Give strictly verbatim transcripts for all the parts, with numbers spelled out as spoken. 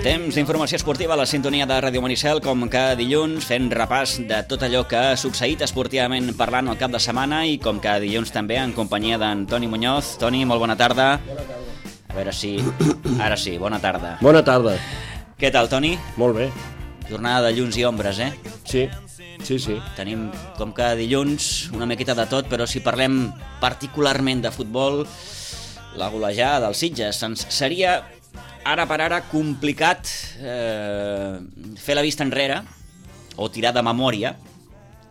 Temps d'informació esportiva a la sintonia de Ràdio Maricel, com cada dilluns, fent repàs de tot allò que ha succeït esportivament parlant el cap de setmana i com cada dilluns també en companyia d'en Toni Muñoz. Toni, molt bona tarda. Bona tarda. A veure si... Ara sí, bona tarda. Bona tarda. Què tal, Toni? Molt bé. Jornada de llums i ombres, eh? Sí, sí, sí. Tenim, com cada dilluns, una miqueta de tot, però si parlem particularment de futbol, la golejada dels Sitges. Ens seria... ara per ara complicat eh, fer la vista enrere o tirar de memòria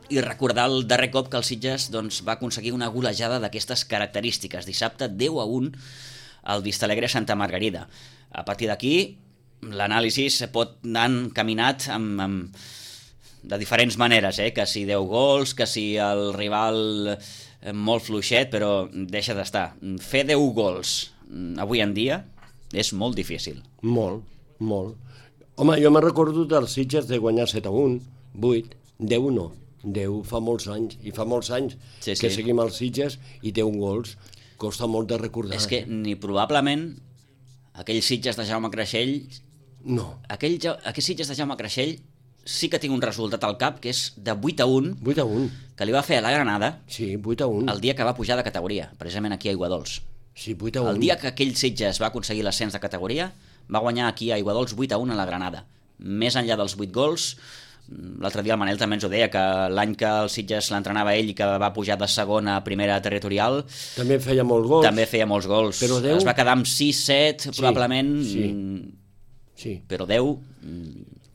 i recordar el darrer cop que el Sitges doncs, va aconseguir una golejada d'aquestes característiques. Dissabte deu a un al Vistalegre Santa Margarida. A partir d'aquí l'anàlisi pot anar encaminat amb, amb, de diferents maneres, eh? Que si deu gols, que si el rival molt fluixet, però deixa d'estar. Fer deu gols avui en dia és molt difícil. Molt, molt. Home, jo me'n recordo dels Sitges de guanyar set a un, vuit, deu no. deu fa molts anys, i fa molts anys sí, sí. que seguim els Sitges i deu gols. Costa molt de recordar. És que ni probablement aquells Sitges de Jaume Creixell... No. Aquell, aquells Sitges de Jaume Creixell sí que tinc un resultat al cap, que és de vuit a un, vuit a un. Que li va fer a la Granada sí, vuit a un. El dia que va pujar de categoria, precisament aquí a Aiguadols. Sí, vuit a un. El dia que aquell Sitges va aconseguir l'ascens de categoria, va guanyar aquí a Aiguadols vuit a un a la Granada. Més enllà dels vuit gols, l'altre dia el Manel també ens ho deia, que l'any que el Sitges l'entrenava ell i que va pujar de segona a primera territorial... També feia molts gols. També feia molts gols. Però deu... Es va quedar amb sis set, sí, probablement... Sí, sí. Però deu,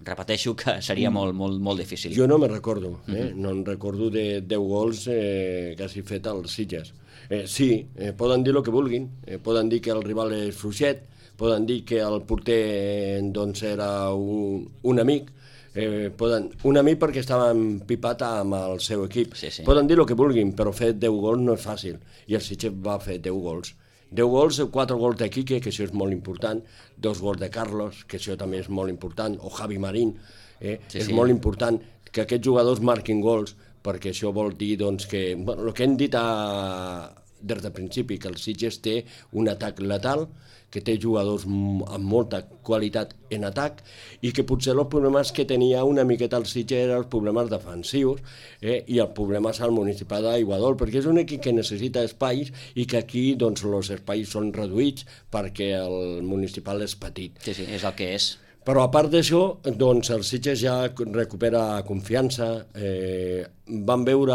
repeteixo que seria mm. molt, molt, molt difícil. Jo no me'n recordo, eh? Mm-hmm. No em recordo de deu gols eh, que hagi fet el Sitges. Eh, sí, eh, poden dir el que vulguin, eh, poden dir que el rival és fluixet, poden dir que el porter eh, doncs era un, un amic, eh, poden, un amic perquè estava empipat amb el seu equip. Sí, sí. Poden dir el que vulguin, però fer deu gols no és fàcil, i el Sitges va fer deu gols. deu gols, quatre gols de Quique, que això és molt important, dos gols de Carlos, que això també és molt important, o Javi Marín, eh? sí, és sí. molt important que aquests jugadors marquin gols, perquè això vol dir doncs, que... Bueno, el que hem dit a, des del principi, que el Sitges té un atac letal, que té jugadors amb molta qualitat en atac, i que potser els problemes que tenia una miqueta el Sitges eren els problemes defensius eh, i els problemes al municipal d'Aiguadol, perquè és un equip que necessita espais i que aquí doncs, els espais són reduïts perquè el municipal és petit. Sí, sí, és el que és. Però a part d'això, doncs el Sitges ja recupera confiança. Eh, van veure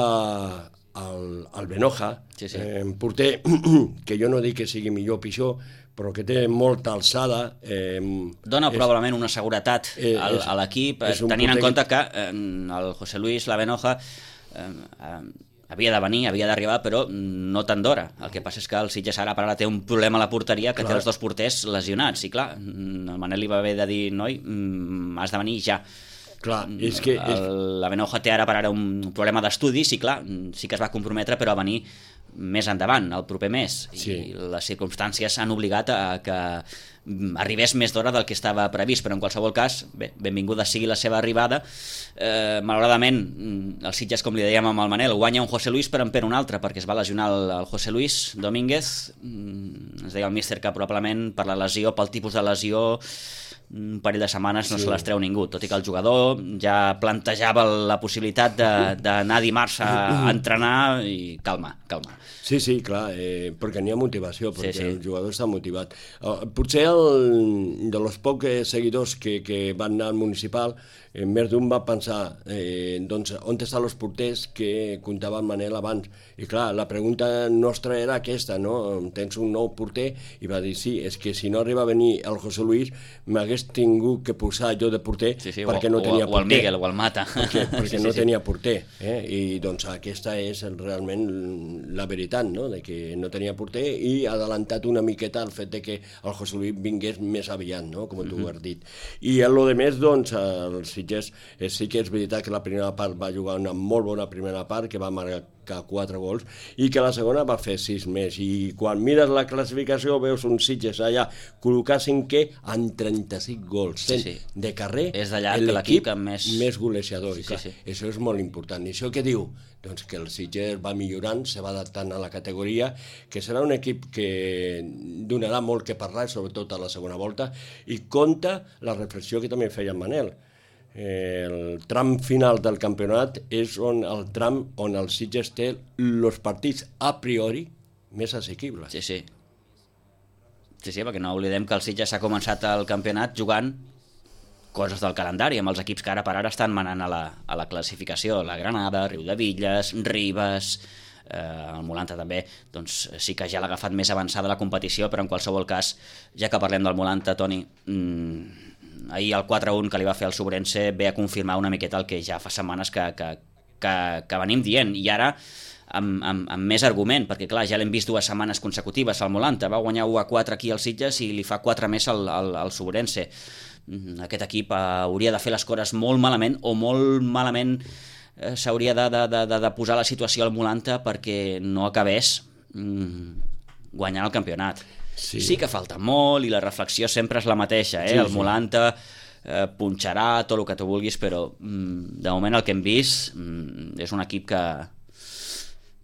el, el Benoja, sí, sí. Eh, porter, que jo no dic que sigui millor o pitjor, però que té molta alçada. Eh, Dona és, probablement una seguretat eh, al, és, a l'equip, tenint en compte que eh, el José Luis, la Benoja... Eh, eh, havia de venir, havia d'arribar, però no tant d'hora. El que passa és que el Sitges ara per ara té un problema a la porteria, que clar. Té els dos porters lesionats. I clar, el Manel li va haver de dir, noi, has de venir ja. Clar, és que... El, és... La Benoja té ara per ara un problema d'estudis i clar, sí que es va comprometre, però a venir més endavant, el proper mes. Sí. I les circumstàncies han obligat a que arribés més d'hora del que estava previst, però en qualsevol cas, bé, benvinguda sigui la seva arribada. Eh, malauradament, el Sitges, com li dèiem amb el Manel, guanya un José Luis però en perd un altre, perquè es va lesionar el, el José Luis Domínguez. Ens deia el míster que probablement per la lesió, pel tipus de lesió, un parell de setmanes no sí. se les treu ningú, tot i que el jugador ja plantejava la possibilitat d'anar dimarts a, a entrenar i calma, calma. Sí, sí, clar, eh, perquè n'hi ha motivació, perquè sí, sí. el jugador està motivat. Uh, potser el, de los pocs seguidors que, que van anar al municipal, eh, més d'un va pensar eh, doncs, on estan els porters que comptava el Manel abans. I clar, la pregunta nostra era aquesta, no? Tens un nou porter? I va dir, sí, és que si no arriba a venir el José Luis, m'hagués tingut que posar jo de porter sí, sí, perquè o, no tenia o, porter. O el Miguel, o el Mata. Perquè, perquè sí, no sí. tenia porter. Eh? I doncs aquesta és realment la veritat, no? De que no tenia porter i ha adelantat una miqueta el fet de que el José Luis vingués més aviat, no? Com tu mm-hmm. has dit. I a lo de més, doncs, el Sitges sí que és veritat que la primera part va jugar una molt bona primera part, que va marcar marcar quatre gols, i que la segona va fer sis més, i quan mires la classificació veus un Sitges allà col·locar cinquè amb trenta-cinc gols, sí, sí. de carrer, és de llarg l'equip més... més golejador, sí, i clar, sí, sí. això és molt important. I això què diu? Doncs que el Sitges va millorant, se va adaptant a la categoria, que serà un equip que donarà molt que parlar, sobretot a la segona volta, i compta la reflexió que també feia en Manel. El tram final del campionat és on el tram on el Sitges té els partits a priori més assequibles. Sí, sí. Sí, sí, perquè no oblidem que el Sitges ha començat el campionat jugant coses del calendari, amb els equips que ara per ara estan manant a la, a la classificació. La Granada, Riudevilles, Ribes, eh, el Molanta també, doncs sí que ja l'ha agafat més avançada la competició, però en qualsevol cas, ja que parlem del Molanta, Toni, mmm, ahir el quatre a un que li va fer el Sobrense ve a confirmar una miqueta el que ja fa setmanes que, que, que, que venim dient, i ara amb, amb, amb més argument, perquè clar, ja l'hem vist dues setmanes consecutives al Molanta, va guanyar u a quatre aquí al Sitges i li fa quatre més al, al, al Sobrense. Aquest equip hauria de fer les coses molt malament, o molt malament eh, s'hauria de, de, de, de posar la situació al Molanta perquè no acabés mm, guanyant el campionat. Sí. sí que falta molt i la reflexió sempre és la mateixa, eh? Sí, el Molanta eh, punxarà tot el que tu vulguis, però mm, de moment el que hem vist mm, és un equip que,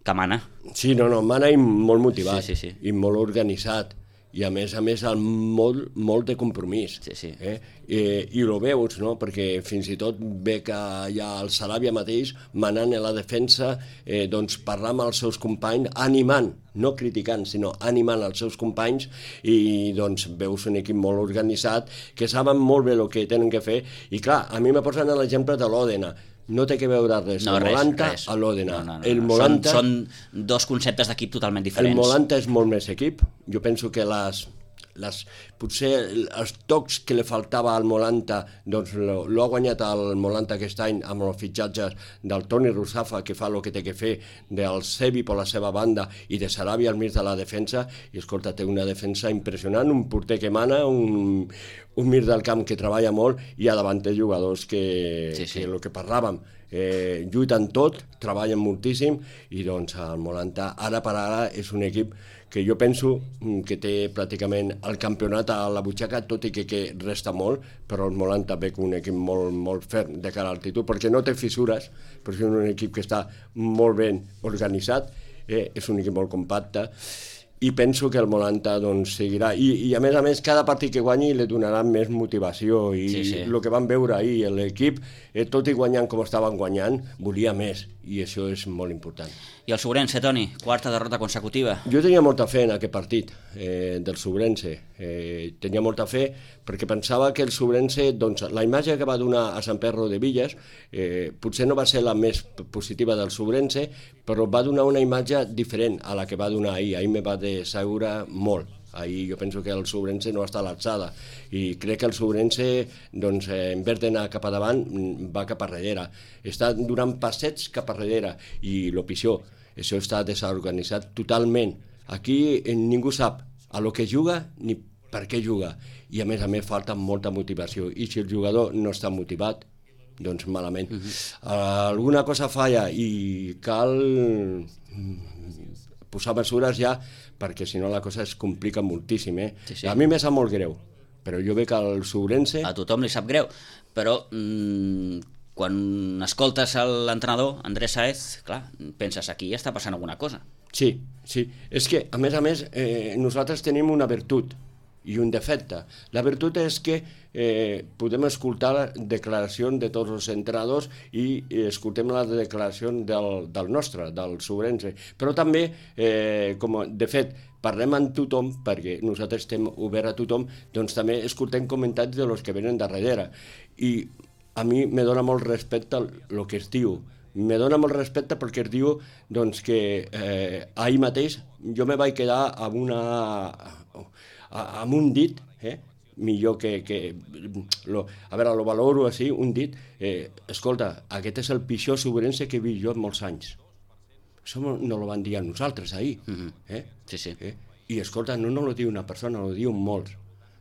que mana. Sí, no, no, mana i molt motivat, sí, sí, sí. i molt organitzat, i a més a més el molt, molt de compromís. Sí, sí. Eh? I, i ho veus, no? Perquè fins i tot ve que hi ha el Saràbia mateix manant a la defensa, eh, doncs parlar amb els seus companys, animant, no criticant, sinó animant els seus companys, i doncs veus un equip molt organitzat, que saben molt bé el que tenen que fer, i clar, a mi me posen l'exemple de l'Òdena. No té que veure res, no, el res, Molanta res. a l'Òdena. No, no, no, el no. Molanta... Són, són dos conceptes d'equip totalment diferents. El Molanta és molt més equip. Jo penso que les, les, potser els tocs que li faltava al Molanta, doncs l'ha guanyat el Molanta aquest any amb els fitxatges del Toni Russafa, que fa el que té que fer, del Sebi per la seva banda i de Saràbia al mig de la defensa, i escolta, té una defensa impressionant, un porter que mana, un, un mir del camp que treballa molt, i a davant té jugadors que, sí, sí. que el que parlàvem, eh, lluiten tot, treballen moltíssim, i doncs el Molanta ara per ara és un equip que jo penso que té pràcticament el campionat a la butxaca, tot i que, que resta molt, però el Molanta ve com un equip molt, molt ferm de cara al títol, perquè no té fissures, però és un equip que està molt ben organitzat, eh, és un equip molt compacte, i penso que el Molanta doncs, seguirà, I, i a més a més cada partit que guanyi li donarà més motivació, i sí, sí. El que vam veure ahir, l'equip, eh, tot i guanyant com estaven guanyant, volia més, i això és molt important. I el Sobrense, Toni, quarta derrota consecutiva. Jo tenia molta fe en aquest partit eh, del Sobrense, eh, tenia molta fe perquè pensava que el Sobrense, doncs, la imatge que va donar a Sant Perro de Villas eh, potser no va ser la més positiva del Sobrense, però va donar una imatge diferent a la que va donar ahir. Ahir me va decebreure molt. Ahir jo penso que el Sobrense no està a l'alçada, i crec que el Sobrense, doncs, eh, en vez d'anar cap a davant, va cap a darrere. Està donant passets cap a darrere, i el pitjor, això està desorganitzat totalment. Aquí eh, ningú sap a lo que juga ni per què juga, i a més a més falta molta motivació, i si el jugador no està motivat, doncs malament. Uh-huh. uh, alguna cosa falla i cal posar mesures ja, perquè si no la cosa es complica moltíssim. Eh? Sí, sí. A mi me sap molt greu, però jo veig que el Sobrense... A tothom li sap greu, però mmm, quan escoltes l'entrenador, Andrés Sáez, clar, penses, aquí està passant alguna cosa. Sí, sí. És que, a més a més, eh, nosaltres tenim una virtut i un defecte. La virtut és que eh, podem escoltar declaracions de tots els entrenadors i escoltem la declaració del, del nostre, del Sobrense. Però també, eh, com de fet, parlem amb tothom, perquè nosaltres estem oberts a tothom, doncs també escoltem comentaris de los que venen darrere. I a mi me dona molt respecte el que es diu. Me dona molt respecte perquè es diu doncs, que eh, ahir mateix jo me vaig quedar amb una... amb un dit, eh? millor que... que lo, a veure, lo valoro així, un dit, eh, escolta, aquest és el pitjor Sobrense que he vist jo en molts anys. Això no, no lo van dir a nosaltres ahir. Mm-hmm. eh? Sí, sí. Eh? I escolta, no, no lo diu una persona, lo diu molts.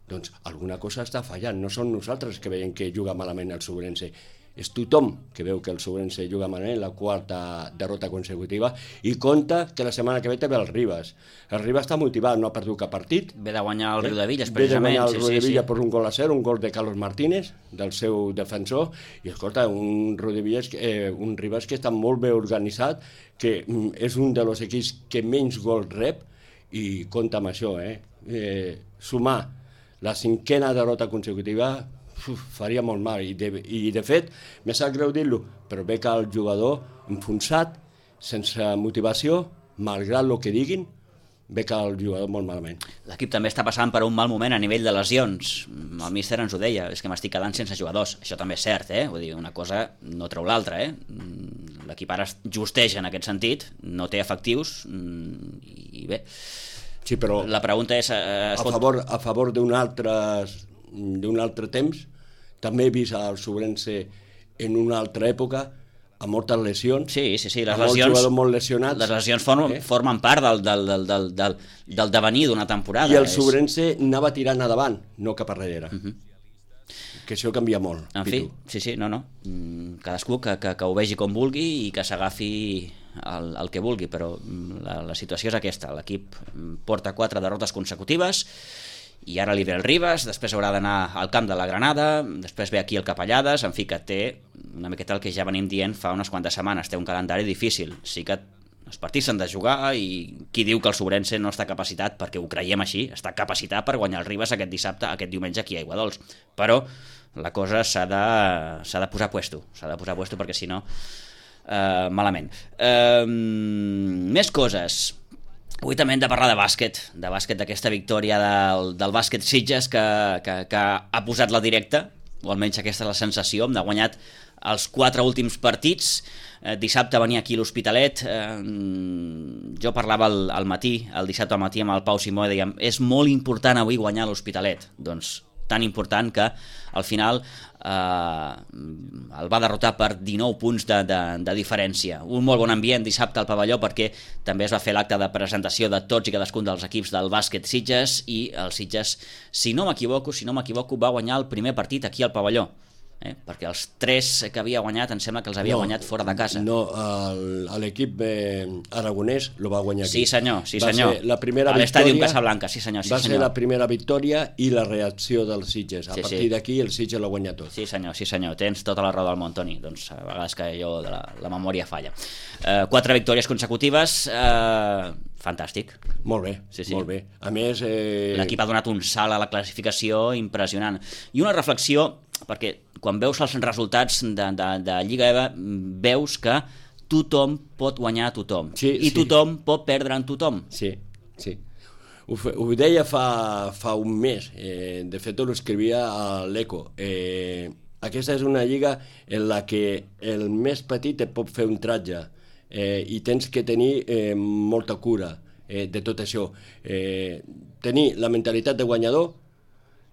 Doncs alguna cosa està fallant, no són nosaltres que veiem que juga malament el Sobrense. és tothom que veu que el Sobrense juga malament, la quarta derrota consecutiva, i compta que la setmana que ve té el Ribas. El Ribas està motivat, no ha perdut cap partit. Ve de guanyar el Riudevilles, Ve de precisament. guanyar el sí, Riudevilles sí, per un gol a zero, un gol de Carlos Martínez, del seu defensor, i escolta, un Riudevilles, eh, un Ribas que està molt bé organitzat, que mm, és un dels equips que menys gols rep, i compta amb això, eh? eh sumar la cinquena derrota consecutiva uf, faria molt mal, i de, i de fet me sap greu dir-lo, però ve que el jugador enfonsat, sense motivació, malgrat el que diguin, ve que el jugador molt malament. L'equip també està passant per un mal moment a nivell de lesions. El míster ens ho deia, és que m'estic quedant sense jugadors. Això també és cert, eh? Vull dir, una cosa no treu l'altra, eh? L'equip ara justeja en aquest sentit, no té efectius, i bé. Sí, però la pregunta és... Eh, a favor, a favor d'un altre, d'un altre temps, també he vist el Sobrense en una altra època, amb moltes lesions, sí, sí, sí. Les amb lesions, molts jugadors molt lesionats. Les lesions formen, eh? formen part del, del, del, del, del, del devenir d'una temporada. I el Sobrense és... anava tirant endavant, no cap enrere. Uh -huh. Que això canvia molt. En fi, sí, sí, no, no. Cadascú que, que, que ho vegi com vulgui i que s'agafi el, el que vulgui, però la, la situació és aquesta. L'equip porta quatre derrotes consecutives, i ara li ve el Ribas, després haurà d'anar al camp de la Granada, després ve aquí el Capellades, en fi, que té una miqueta el que ja venim dient fa unes quantes setmanes, té un calendari difícil, sí que els partits s'han de jugar, i qui diu que el Sobrense no està capacitat, perquè ho creiem així, està capacitat per guanyar el Ribas aquest dissabte, aquest diumenge aquí a Aiguadols, però la cosa s'ha de, s'ha de posar puesto, s'ha de posar puesto perquè si no, eh, malament. Eh, més coses. Avui també hem de parlar de bàsquet, de bàsquet d'aquesta victòria del, del bàsquet Sitges que, que, que ha posat la directa, o almenys aquesta és la sensació, hem guanyat els quatre últims partits. Eh, dissabte venia aquí l'Hospitalet, eh, jo parlava al, al matí, el dissabte al matí amb el Pau Simó, i dèiem, és molt important avui guanyar l'Hospitalet. Doncs tan important que al final eh, el va derrotar per dinou punts de, de, de diferència. Un molt bon ambient dissabte al pavelló, perquè també es va fer l'acte de presentació de tots i cadascun dels equips del bàsquet Sitges, i el Sitges, si no m'equivoco, si no m'equivoco, va guanyar el primer partit aquí al pavelló. Eh? Perquè els tres que havia guanyat em sembla que els havia no, guanyat fora de casa. No, l'equip eh, aragonès lo va guanyar aquí. Sí senyor, sí va senyor. La primera a l'estadi en Casablanca, sí senyor. Sí, va senyor. ser la primera victòria i la reacció dels Sitges. A sí, partir sí. d'aquí el Sitges l'ha guanyat tot. Sí senyor, sí senyor, tens tota la raó del món, Toni. Doncs a vegades que jo de la, la memòria falla. Eh, quatre victòries consecutives, eh, fantàstic. Molt bé, sí, sí. molt bé. A més... Eh... L'equip ha donat un salt a la classificació impressionant. I una reflexió, perquè quan veus els resultats de, de, de Lliga E V A, veus que tothom pot guanyar a tothom, sí, i sí. tothom pot perdre en tothom. Sí, sí. Ho, ho deia fa, fa un mes, eh, de fet ho escrivia a l'Eco. Eh, aquesta és una lliga en la que el més petit et pot fer un tratge, eh, i tens que tenir eh, molta cura eh, de tot això. Eh, tenir la mentalitat de guanyador,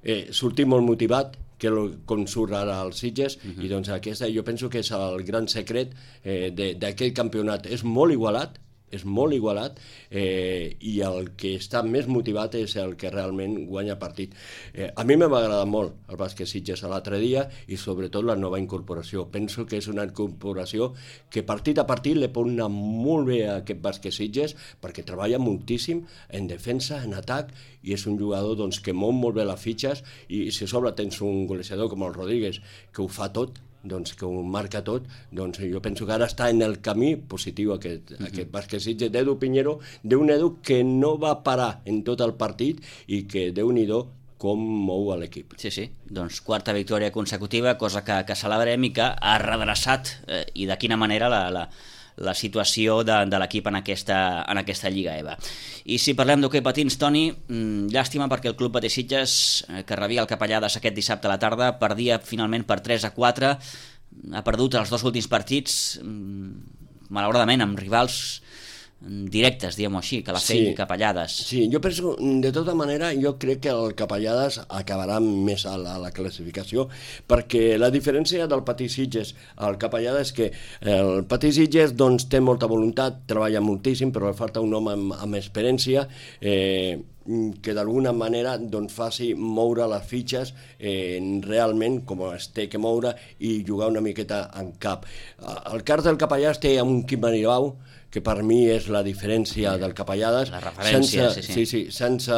eh, sortir molt motivat, que com surt ara als Sitges, uh-huh. i doncs aquesta jo penso que és el gran secret eh, d'aquest campionat. És molt igualat, és molt igualat, eh, i el que està més motivat és el que realment guanya partit. Eh, a mi m'ha agradat molt el bàsquet Sitges l'altre dia, i sobretot la nova incorporació. Penso que és una incorporació que partit a partit li pot anar molt bé a aquest bàsquet Sitges, perquè treballa moltíssim en defensa, en atac, i és un jugador doncs, que mou molt bé les fitxes, i si a sobre tens un golejador com el Rodríguez, que ho fa tot, doncs, que ho marca tot, doncs jo penso que ara està en el camí positiu aquest, uh-huh. aquest bàsquet Sitges d'Edu Piñero, d'un Edu que no va parar en tot el partit, i que Déu-n'hi-do com mou a l'equip. Sí, sí, doncs quarta victòria consecutiva, cosa que, que celebrem i que ha redreçat, eh, i de quina manera la, la, la situació de, de l'equip en aquesta, en aquesta Lliga E V A. I si parlem d'hoquei patins, Toni, mmm, llàstima perquè el Club Patí Sitges, eh, que rebia el Capellades aquest dissabte a la tarda, perdia finalment per tres a quatre, ha perdut els dos últims partits, mmm, malauradament amb rivals directes, diguem-ho així, Calafell sí. i Capellades. Sí, jo penso, de tota manera, jo crec que el Capellades acabarà més a la, a la classificació, perquè la diferència del Patí Sitges al Capellades és que el Patí Sitges doncs, té molta voluntat, treballa moltíssim, però li falta un home amb, amb experiència, eh, que d'alguna manera doncs, faci moure les fitxes eh, realment com es té que moure i jugar una miqueta en cap. El cas del Capellades té un Quim Manilbau, que per mi és la diferència del Capellades. La referència, sense, sí, sí. sí, sí. Sense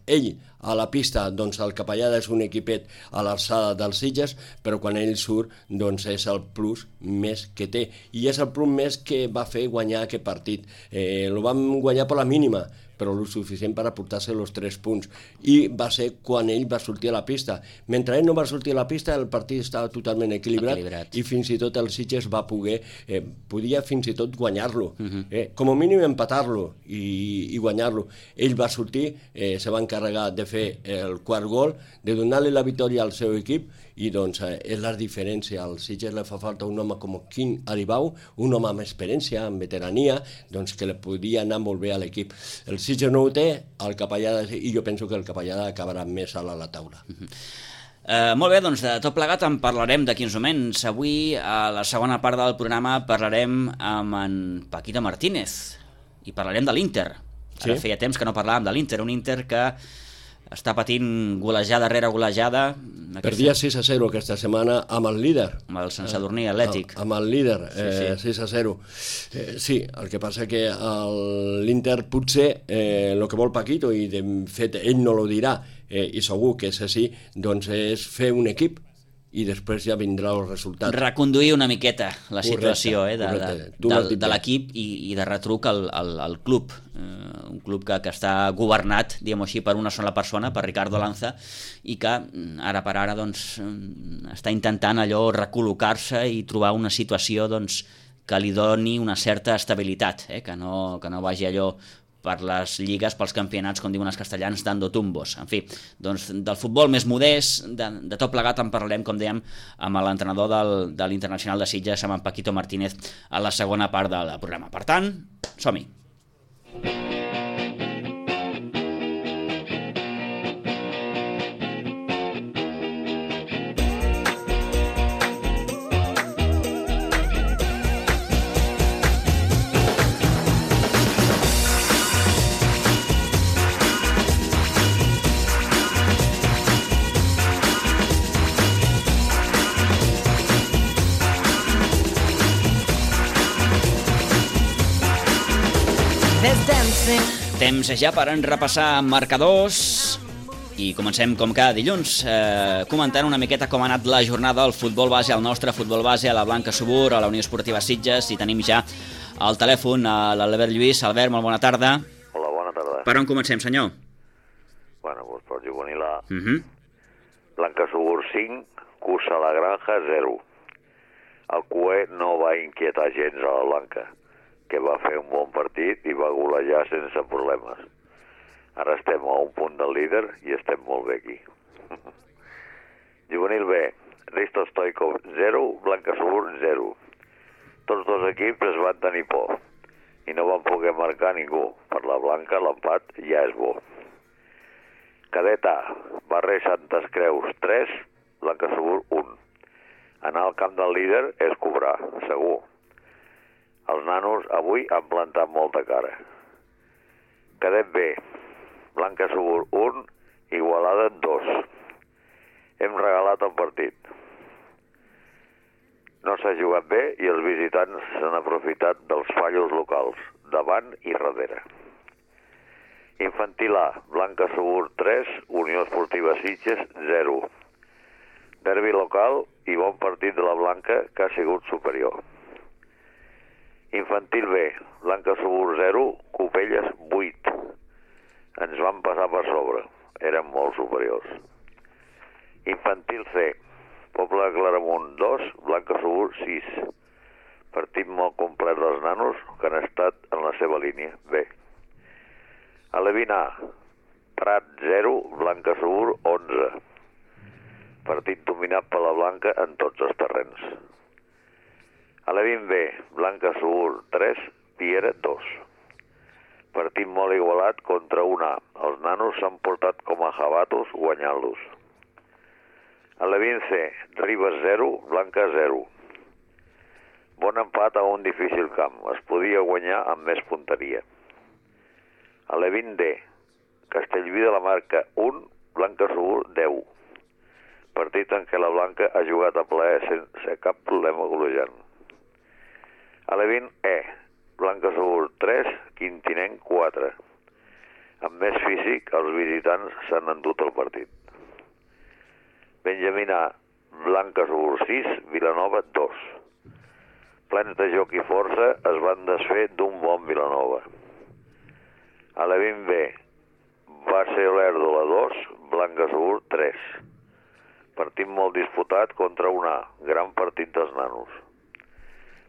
ell a la pista, doncs el Capellades és un equipet a l'alçada dels Sitges, però quan ell surt, doncs és el plus més que té. I és el plus més que va fer guanyar aquest partit. Eh, lo vam guanyar per la mínima, però el suficient per aportar-se els tres punts. I va ser quan ell va sortir a la pista. Mentre ell no va sortir a la pista, el partit estava totalment equilibrat, equilibrat. I fins i tot el Sitges va poder, eh, podia fins i tot guanyar-lo, uh-huh. eh, com a mínim empatar-lo i, i guanyar-lo. Ell va sortir, eh, se va encarregar de fer el quart gol, de donar-li la victòria al seu equip, i doncs eh, és la diferència. Al Sitges li fa falta un home com Quim Manilbau, un home amb experiència, amb veterania, doncs que li podia anar molt bé a l'equip. El Sitges no ho té, el Capellades, i jo penso que el Capellades acabarà més a la taula. Uh-huh. Uh, molt bé, doncs de tot plegat en parlarem d'aquí uns moments. Avui, a la segona part del programa, parlarem amb en Paquito Martínez i parlarem de l'Inter. Ara sí? Feia temps que no parlàvem de l'Inter, un Inter que està patint golejada rere golejada. Aquesta... Perdia sis a zero aquesta setmana amb el líder. Amb el Sant Sadurní Atlètic. Amb el líder, eh, sí, sí. sis a zero. Eh, sí, el que passa que l'Inter potser eh, el que vol Paquito, i de fet ell no lo dirà, eh, i segur que és així, doncs és fer un equip i després ja vindrà el resultat. Reconduir una miqueta la situació correcte, eh, de, correcte. de, de, de l'equip i, i de retruc al, al, al club. Eh, un club que, que està governat, diguem-ho així, per una sola persona, per Ricardo Lanza, i que ara per ara doncs, està intentant allò recol·locar-se i trobar una situació doncs, que li doni una certa estabilitat, eh, que, no, que no vagi allò per les lligues, pels campionats, com diuen els castellans, dando tumbos. En fi, doncs del futbol més modest, de, de tot plegat en parlarem, com dèiem, amb l'entrenador del, de l'Internacional de Sitges, amb en Paquito Martínez, a la segona part del programa. Per tant, som-hi. Temps ja per en repassar marcadors i comencem com cada dilluns eh, comentant una miqueta com ha anat la jornada al futbol base, al nostre futbol base, a la Blanca Subur, a la Unió Esportiva Sitges, i tenim ja al telèfon a l'Albert Lluís. Albert, molt bona tarda. Hola, bona tarda. Per on comencem, senyor? Bueno, doncs per juvenil A. Uh -huh. Blanca Subur cinc, Cursa la Granja zero. El Q E no va inquietar gens a la Blanca, que va fer un bon partit i va golejar sense problemes. Ara estem a un punt del líder i estem molt bé aquí. Juvenil B, Risto Stoikov zero, Blanca Subur zero. Tots dos equips es van tenir por i no van poder marcar ningú. Per la Blanca l'empat ja és bo. Cadet A, Barrer Santes Creus tres, Blanca Subur un. Anar al camp del líder és cobrar, segur. Els nanos avui han plantat molta cara. Cadet B, Blanca Subur un, Igualada dos. Hem regalat el partit. No s'ha jugat bé i els visitants s'han aprofitat dels fallos locals, davant i darrere. Infantil A, Blanca Subur tres, Unió Esportiva Sitges zero. Derbi local i bon partit de la Blanca, que ha sigut superior. Infantil B, Blanca Subur zero, Copelles vuit. Ens van passar per sobre, eren molt superiors. Infantil C, Poble de Claramunt dos, Blanca Subur sis. Partit molt complet dels nanos que han estat en la seva línia. B. Alevin A, Prat zero, Blanca Subur onze. Partit dominat per la Blanca en tots els terrenys. Alevin B, Blanca Subur tres, Piera dos. Partit molt igualat contra un A. Els nanos s'han portat com a jabatos guanyant-los. Alevin C, Ribes zero, Blanca zero. Bon empat a un difícil camp. Es podia guanyar amb més punteria. Alevin D, Castellví de la Marca un, Blanca Subur deu. Partit en què la Blanca ha jugat a plaer sense cap problema golejant. Alevín E, Blanca Subur tres, Quintinenc quatre. Amb més físic, els visitants s'han endut el partit. Benjamín A, Blanca Subur sis, Vilanova dos. Plens de joc i força es van desfer d'un bon Vilanova. Alevín B, Base Olèrdola dos, Blanca Subur tres. Partit molt disputat contra un A, gran partit dels nanos.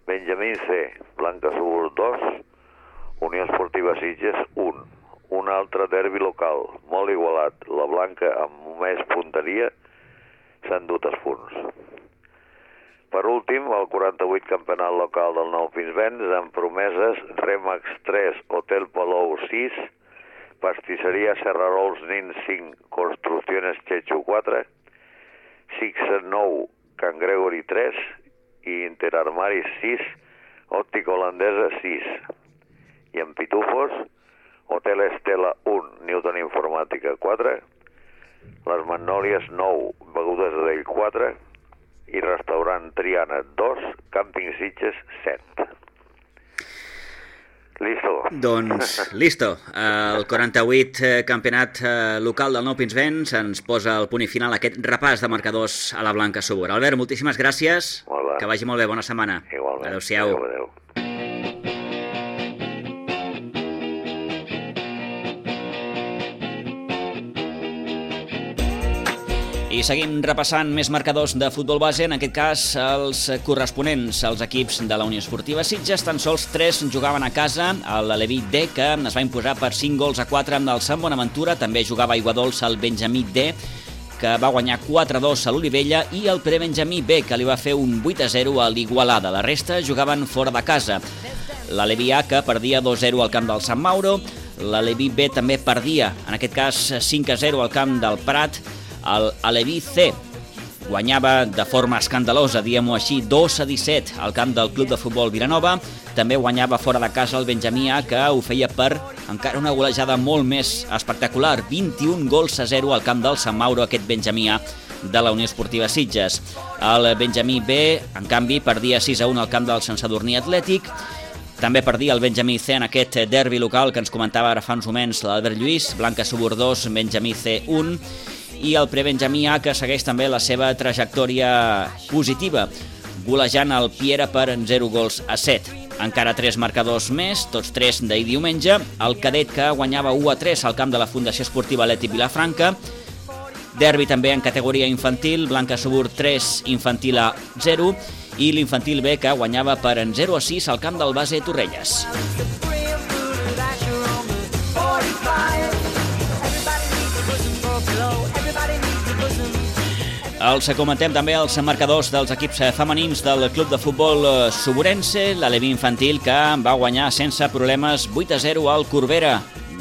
Benjamín C, Blanca Subur dos, Unió Esportiva Sitges un. Un altre derbi local, molt igualat. La Blanca, amb més punteria, s'ha endut els punts. Per últim, el quaranta-vuit campionat local del Nou Pinsbens, amb promeses Remax tres, Hotel Palou sis, Pastisseria Serrarols Nin cinc, Construcciones Chechu quatre, Sixa nou, Can Gregory tres i Interarmaris sis, Òptica Holandesa sis. I en Pitufos, Hotel Estela un, Newton Informàtica quatre, Les Magnòlies nou, Begudes d'Ell quatre i Restaurant Triana dos, Càmping Sitges set. Listo. Doncs, listo. El quaranta-vuit campionat local del Nou Pinsbens ens posa el punt i final a aquest repàs de marcadors a la Blanca Subur. Albert, moltíssimes gràcies. Hola. Que vagi molt bé. Bona setmana. Igualment. Adéu-siau. Adéu, adéu. I seguim repassant més marcadors de futbol base, en aquest cas els corresponents als equips de la Unió Esportiva Sitges. Tan sols tres jugaven a casa, l'Aleví D, que es va imposar per cinc gols a quatre amb el Sant Bonaventura, també jugava a Aiguadols el Benjamí D, que va guanyar quatre a dos a l'Olivella, i el Prebenjamí B, que li va fer un vuit a zero a l'Igualada. La resta jugaven fora de casa. L'Aleví A, que perdia dos a zero al camp del Sant Mauro, l'Aleví B també perdia, en aquest cas cinc a zero al camp del Prat. El Aleví C guanyava de forma escandalosa, diguem-ho així, dos a disset al camp del Club de Futbol Vilanova. També guanyava fora de casa el Benjamí A, que ho feia per encara una golejada molt més espectacular, vint-i-un gols a zero al camp del Sant Mauro, aquest Benjamí A de la Unió Esportiva Sitges. El Benjamí B, en canvi, perdia sis a un al camp del Sant Sadurní Atlètic. També perdia el Benjamí C en aquest derbi local que ens comentava ara fa uns moments l'Albert Lluís, Blanca Subur dos, Benjamí C un, i el Prebenjamí A, que segueix també la seva trajectòria positiva, golejant el Piera per zero gols a set. Encara tres marcadors més, tots tres d'ahir diumenge. El Cadet, que guanyava u a tres al camp de la Fundació Esportiva Leti Vilafranca. Derbi també en categoria infantil, Blanca Subur tres, Infantil A zero, i l'Infantil B, que guanyava per zero a sis al camp del Base Torrelles. Els comentem també els marcadors dels equips femenins del Club de Futbol Suburense. L'Aleví Infantil, que va guanyar sense problemes vuit a zero al Corbera.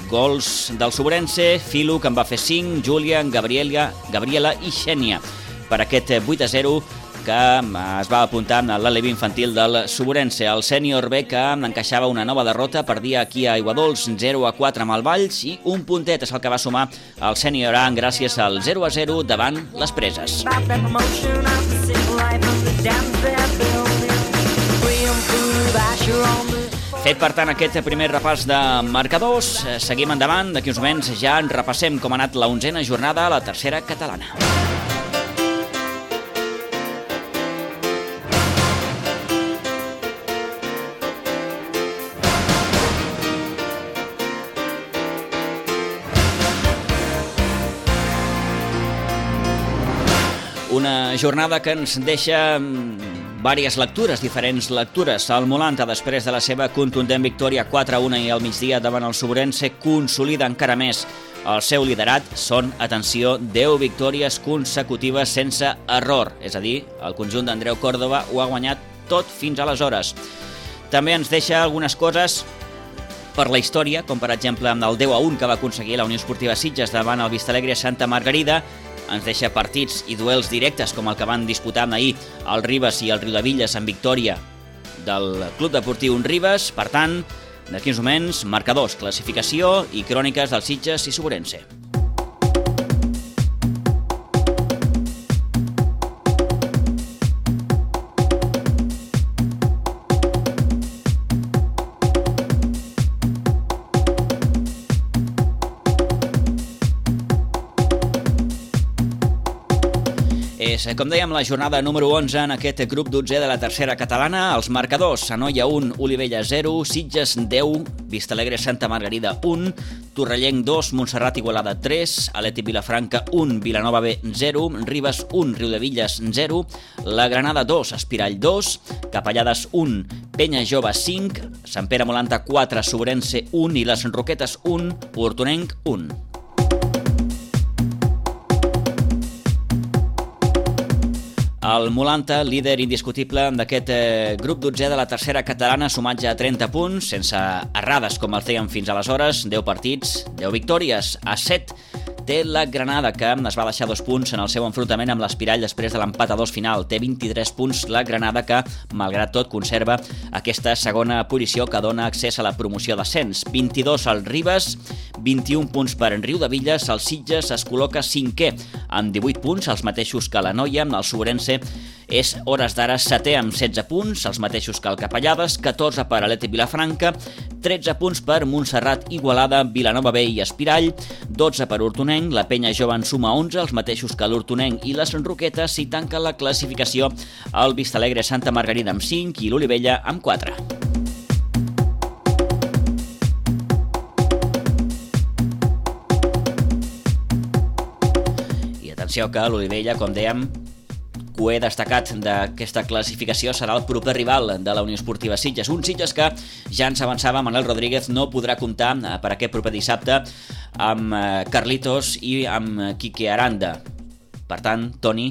Gols del Suburense, Filo, que en va fer cinc, Júlia, Gabriela, Gabriela i Xènia. Per aquest vuit a zero que es va apuntar a l'Aleví Infantil del Suburense. El Sènior B, que encaixava una nova derrota, perdia aquí a Aiguadols zero a quatre amb el Valls, i un puntet és el que va sumar el Sènior A gràcies al zero a zero davant les Preses. Fet, per tant, aquest primer repàs de marcadors, seguim endavant. D'aquí uns moments ja en repassem com ha anat la onzena jornada a la tercera catalana. Una jornada que ens deixa diverses lectures, diferents lectures. El Molanta, després de la seva contundent victòria quatre a un i al migdia davant el Suburense, consolida encara més el seu liderat. Són, atenció, deu victòries consecutives sense error. És a dir, el conjunt d'Andreu Córdoba ho ha guanyat tot fins aleshores. També ens deixa algunes coses per la història, com per exemple amb el deu a un que va aconseguir la Unió Esportiva Sitges davant el Vistalegre Santa Margarida. Ens deixa partits i duels directes com el que van disputar ahir el Ribes i el Riudevilles en victòria del Club Deportiu Ribes. Per tant, D'aquí uns moments, marcadors, classificació i cròniques del Sitges i Sobrense. És, com dèiem, la jornada número onze en aquest grup dotzè de la tercera catalana. Els marcadors: Anoia un, Olivella zero, Sitges deu, Vistalegre Santa Margarida un, Torrellenc dos, Montserrat Igualada tres, Atlètic Vilafranca un, Vilanova B zero, Ribes un, Riudevilles zero, la Granada dos, Espirall dos, Capellades un, Penya Jove cinc, Sant Pere Molanta quatre, Sobrense un i les Roquetes un, Hortonenc un. El Molanta, líder indiscutible d'aquest eh, grup dotzè de la tercera catalana, sumat ja a trenta punts, sense errades com el feien fins aleshores, deu partits, deu victòries. A set té la Granada, que es va deixar dos punts en el seu enfrontament amb l'Espirall després de l'empat a dos final. Té vint-i-tres punts la Granada, que, malgrat tot, conserva aquesta segona posició que dona accés a la promoció d'ascens. vint-i-dos al Ribes, vint-i-un punts per en Riudevilles. El Sitges es col·loca cinquè amb divuit punts, els mateixos que l'Anoia. El Sobrense és, hores d'ara, setè amb setze punts, els mateixos que el Capellades. catorze per Atlètic Vilafranca, tretze punts per Montserrat Igualada, Vilanova B i Espirall, dotze per Hortonenc. La Penya Jove en suma onze, els mateixos que l'Hortonenc i les Roquetes, i tanca la classificació el Vistalegre Santa Margarida amb cinc i l'Olivella amb quatre. I atenció que l'Olivella, com dèiem, cué destacat d'aquesta classificació serà el proper rival de la Unió Esportiva Sitges. Un Sitges que, ja ens avançava Manel Rodríguez, no podrà comptar per aquest proper dissabte amb Carlitos i amb Quique Aranda. Per tant, Toni,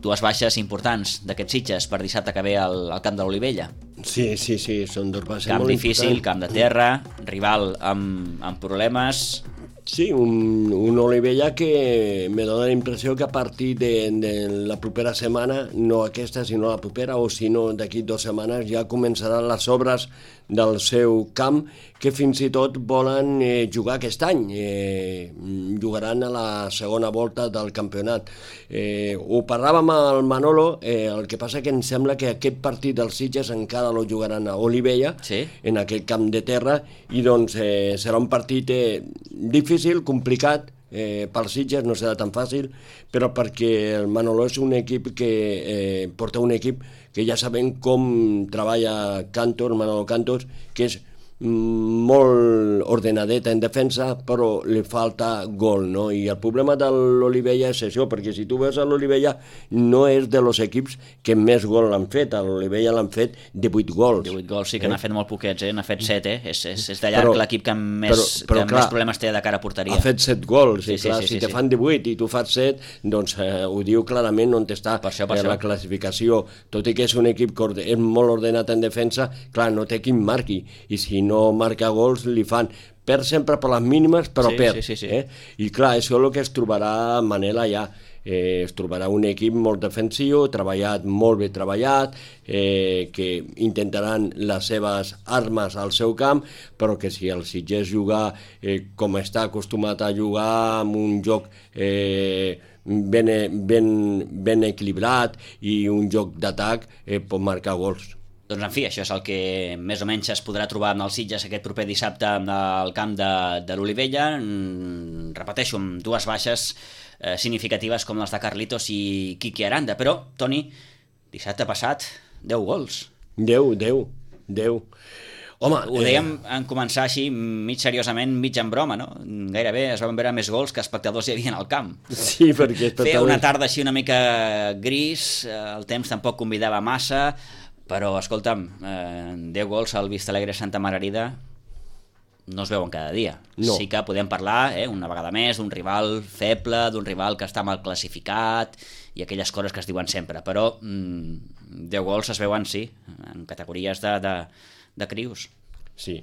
dues baixes importants d'aquests Sitges per dissabte que ve al, al camp de l'Olivella. Sí, sí, sí, són dos baixes camp molt difícil, importants. camp de terra, rival amb, amb problemes. Sí, un, un Olivella que me dona la impressió que a partir de, de la propera setmana, no aquesta sinó la propera, o si no d'aquí dues setmanes, ja començaran les obres del seu camp, que fins i tot volen eh, jugar aquest any. Eh, jugaran a la segona volta del campionat. Eh, ho parlàvem al Manolo, eh, el que passa que em sembla que aquest partit dels Sitges encara lo jugaran a Olivella, sí, en aquell camp de terra, i doncs eh, serà un partit eh, difícil, complicat, eh, pels Sitges no serà tan fàcil, però perquè el Manolo és un equip que eh, porta un equip que ja sabem com treballa Cantos, Manolo Cantos, que és molt ordenadeta en defensa, però li falta gol, no? I el problema de l'Olivella és això, perquè si tu veus a l'Olivella no és de los equips que més gol l'han fet. A l'Olivella l'han fet divuit gols. divuit gols, sí que eh? n'ha fet molt poquets, eh? N'ha fet set, eh? És, és, és de llarg l'equip que més, però, però, que clar, més problemes té de cara a porteria. Ha fet set gols, sí, i clar, sí, sí, si te sí. fan divuit i tu fas set, doncs eh, ho diu clarament on està per això, per eh, la això. classificació. Tot i que és un equip que és molt ordenat en defensa, clar, no té qui marqui, i si no marca gols li fan, perd sempre per les mínimes, però sí, perd. Sí, sí, sí. Eh? I clar, això és el que es trobarà Manel allà. Eh, es trobarà un equip molt defensiu, treballat, molt bé treballat, eh, que intentaran les seves armes al seu camp, però que si el Sitges jugar eh, com està acostumat a jugar, amb un joc eh, ben, ben, ben equilibrat i un joc d'atac, eh, pot marcar gols. Doncs en fi, això és el que més o menys es podrà trobar amb el Sitges aquest proper dissabte al camp de, de l'Olivella. Mm, repeteixo, amb dues baixes eh, significatives com les de Carlitos i Quique Aranda. Però, Toni, dissabte passat, deu gols. deu, deu, deu. Home, ho dèiem eh... en començar així, mig seriosament, mig en broma, no? Gairebé es van veure més gols que espectadors hi havia al camp. Sí, perquè... Feia una tarda així una mica gris, el temps tampoc convidava massa, però, escolta'm, eh, deu gols al Vistalegre Santa Margarida no es veuen cada dia. No. Sí que podem parlar, eh, una vegada més, d'un rival feble, d'un rival que està mal classificat i aquelles coses que es diuen sempre, però mm, deu gols es veuen, sí, en categories de, de, de crius. Sí,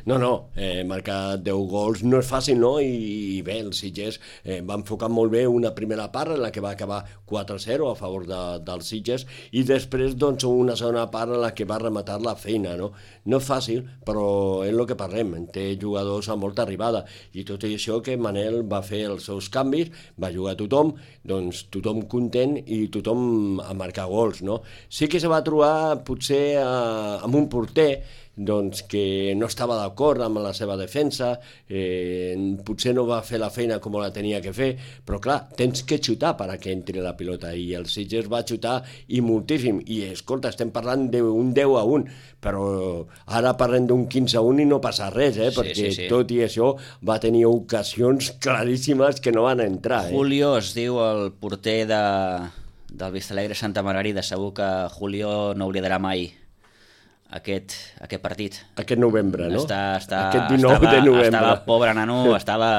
no, no, eh, marcar deu gols no és fàcil, no? I, i bé, els Sitges eh, va enfocar molt bé una primera part en la que va acabar quatre a zero a favor de, dels Sitges i després doncs una segona part en la que va rematar la feina, no? No és fàcil, però és el que parlem, té jugadors amb molta arribada i tot i això que Manel va fer els seus canvis, va jugar tothom, doncs tothom content i tothom a marcar gols, no? Sí que se va trobar potser eh, amb un porter doncs que no estava d'acord amb la seva defensa, eh, potser no va fer la feina com la tenia que fer, però clar, tens que xutar per a que entri la pilota, i el Sitges va xutar i moltíssim, i escolta, estem parlant d'un deu a un, però ara parlem d'un quinze a un i no passa res, eh, Sí, perquè sí, sí. tot i això va tenir ocasions claríssimes que no van entrar. Eh? Julio es diu el porter de, del Vistalegre Santa Margarida. Segur que Julio no oblidarà mai aquest, aquest partit. Aquest novembre, no? Està, està, Aquest dinou estava, de novembre. Estava, pobre nano, estava,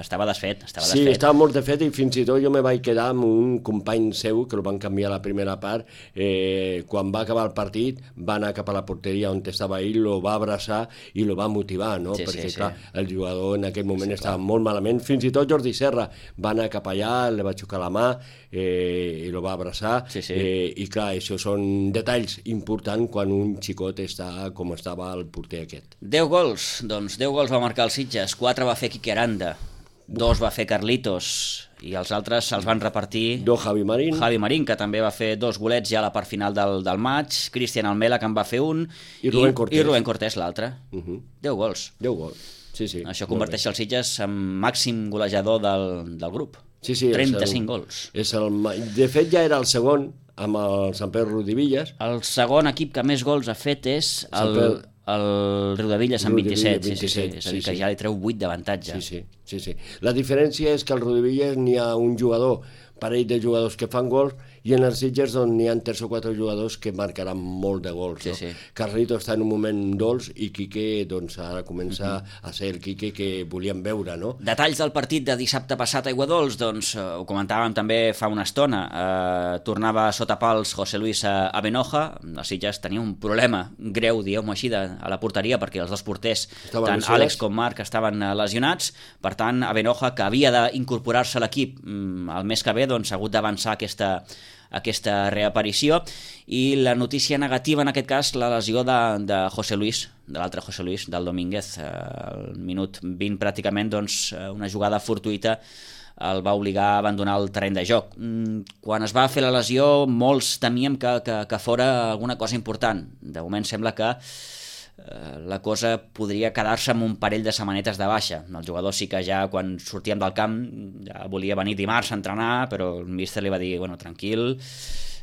estava desfet. Estava Sí, desfet. estava molt de fet i fins i tot jo me vaig quedar amb un company seu que el van canviar a la primera part. Eh, quan va acabar el partit va anar cap a la porteria on estava ell, lo va abraçar i lo va motivar, no? Sí, Perquè sí, clar, sí. el jugador en aquell moment Sí, estava clar. molt malament. Fins i tot Jordi Serra va anar cap allà, li va xocar la mà eh, i lo va abraçar. Sí, sí. Eh, I clar, això són detalls importants quan un xicot està com estava el porter aquest. deu gols, doncs deu gols va marcar el Sitges, quatre va fer Quique Aranda, dos va fer Carlitos i els altres se'ls van repartir Do Javi Marín. Javi Marín, que també va fer dos golets ja a la part final del, del maig, Cristian Almela, que en va fer un, I Rubén Cortés. i Rubén Cortés l'altre. Uh -huh. deu gols. deu gols. Sí, sí. Això molt converteix el Sitges en màxim golejador del, del grup. Sí, sí, és trenta-cinc el- gols. És el, ma- de fet, ja era el segon amb el Sant Pere Rodivillas. El segon equip que més gols ha fet és el, Sant el Riudevilles amb Riudevilles, vint-i-set. Sí, sí, sí. vint-i-set, És a dir, sí, que sí. ja li treu vuit d'avantatge. Sí, sí, sí, sí. La diferència és que al Rodivillas n'hi ha un jugador, parell de jugadors que fan gols, i en els Sitges doncs, n'hi ha tres o quatre jugadors que marcaran molt de gols. Sí, no? sí. Carlito està en un moment dolç i Quique doncs, ara comença uh -huh. a ser el Quique que volíem veure, no? Detalls del partit de dissabte passat a Aiguadols, doncs eh, ho comentàvem també fa una estona. Eh, tornava sota pals José Luis a, a Benoja. El Sitges tenia un problema greu, diguem-ho així, de, a la porteria, perquè els dos porters, Estaven tant lesionats. Àlex com Marc, estaven eh, lesionats. Per tant, a Benoja, que havia d'incorporar-se a l'equip mm, el mes que ve, doncs ha hagut d'avançar aquesta aquesta reaparició, i la notícia negativa en aquest cas, la lesió de, de José Luis, de l'altre José Luis, del Domínguez, eh, al minut vint pràcticament, doncs eh, una jugada fortuïta el va obligar a abandonar el terreny de joc. Mm, Quan es va fer la lesió, molts temíem que, que, que fora alguna cosa important. De moment sembla que eh, la cosa podria quedar-se amb un parell de setmanetes de baixa. El jugador sí que ja, quan sortíem del camp, ja volia venir dimarts a entrenar, però el míster li va dir, bueno, tranquil,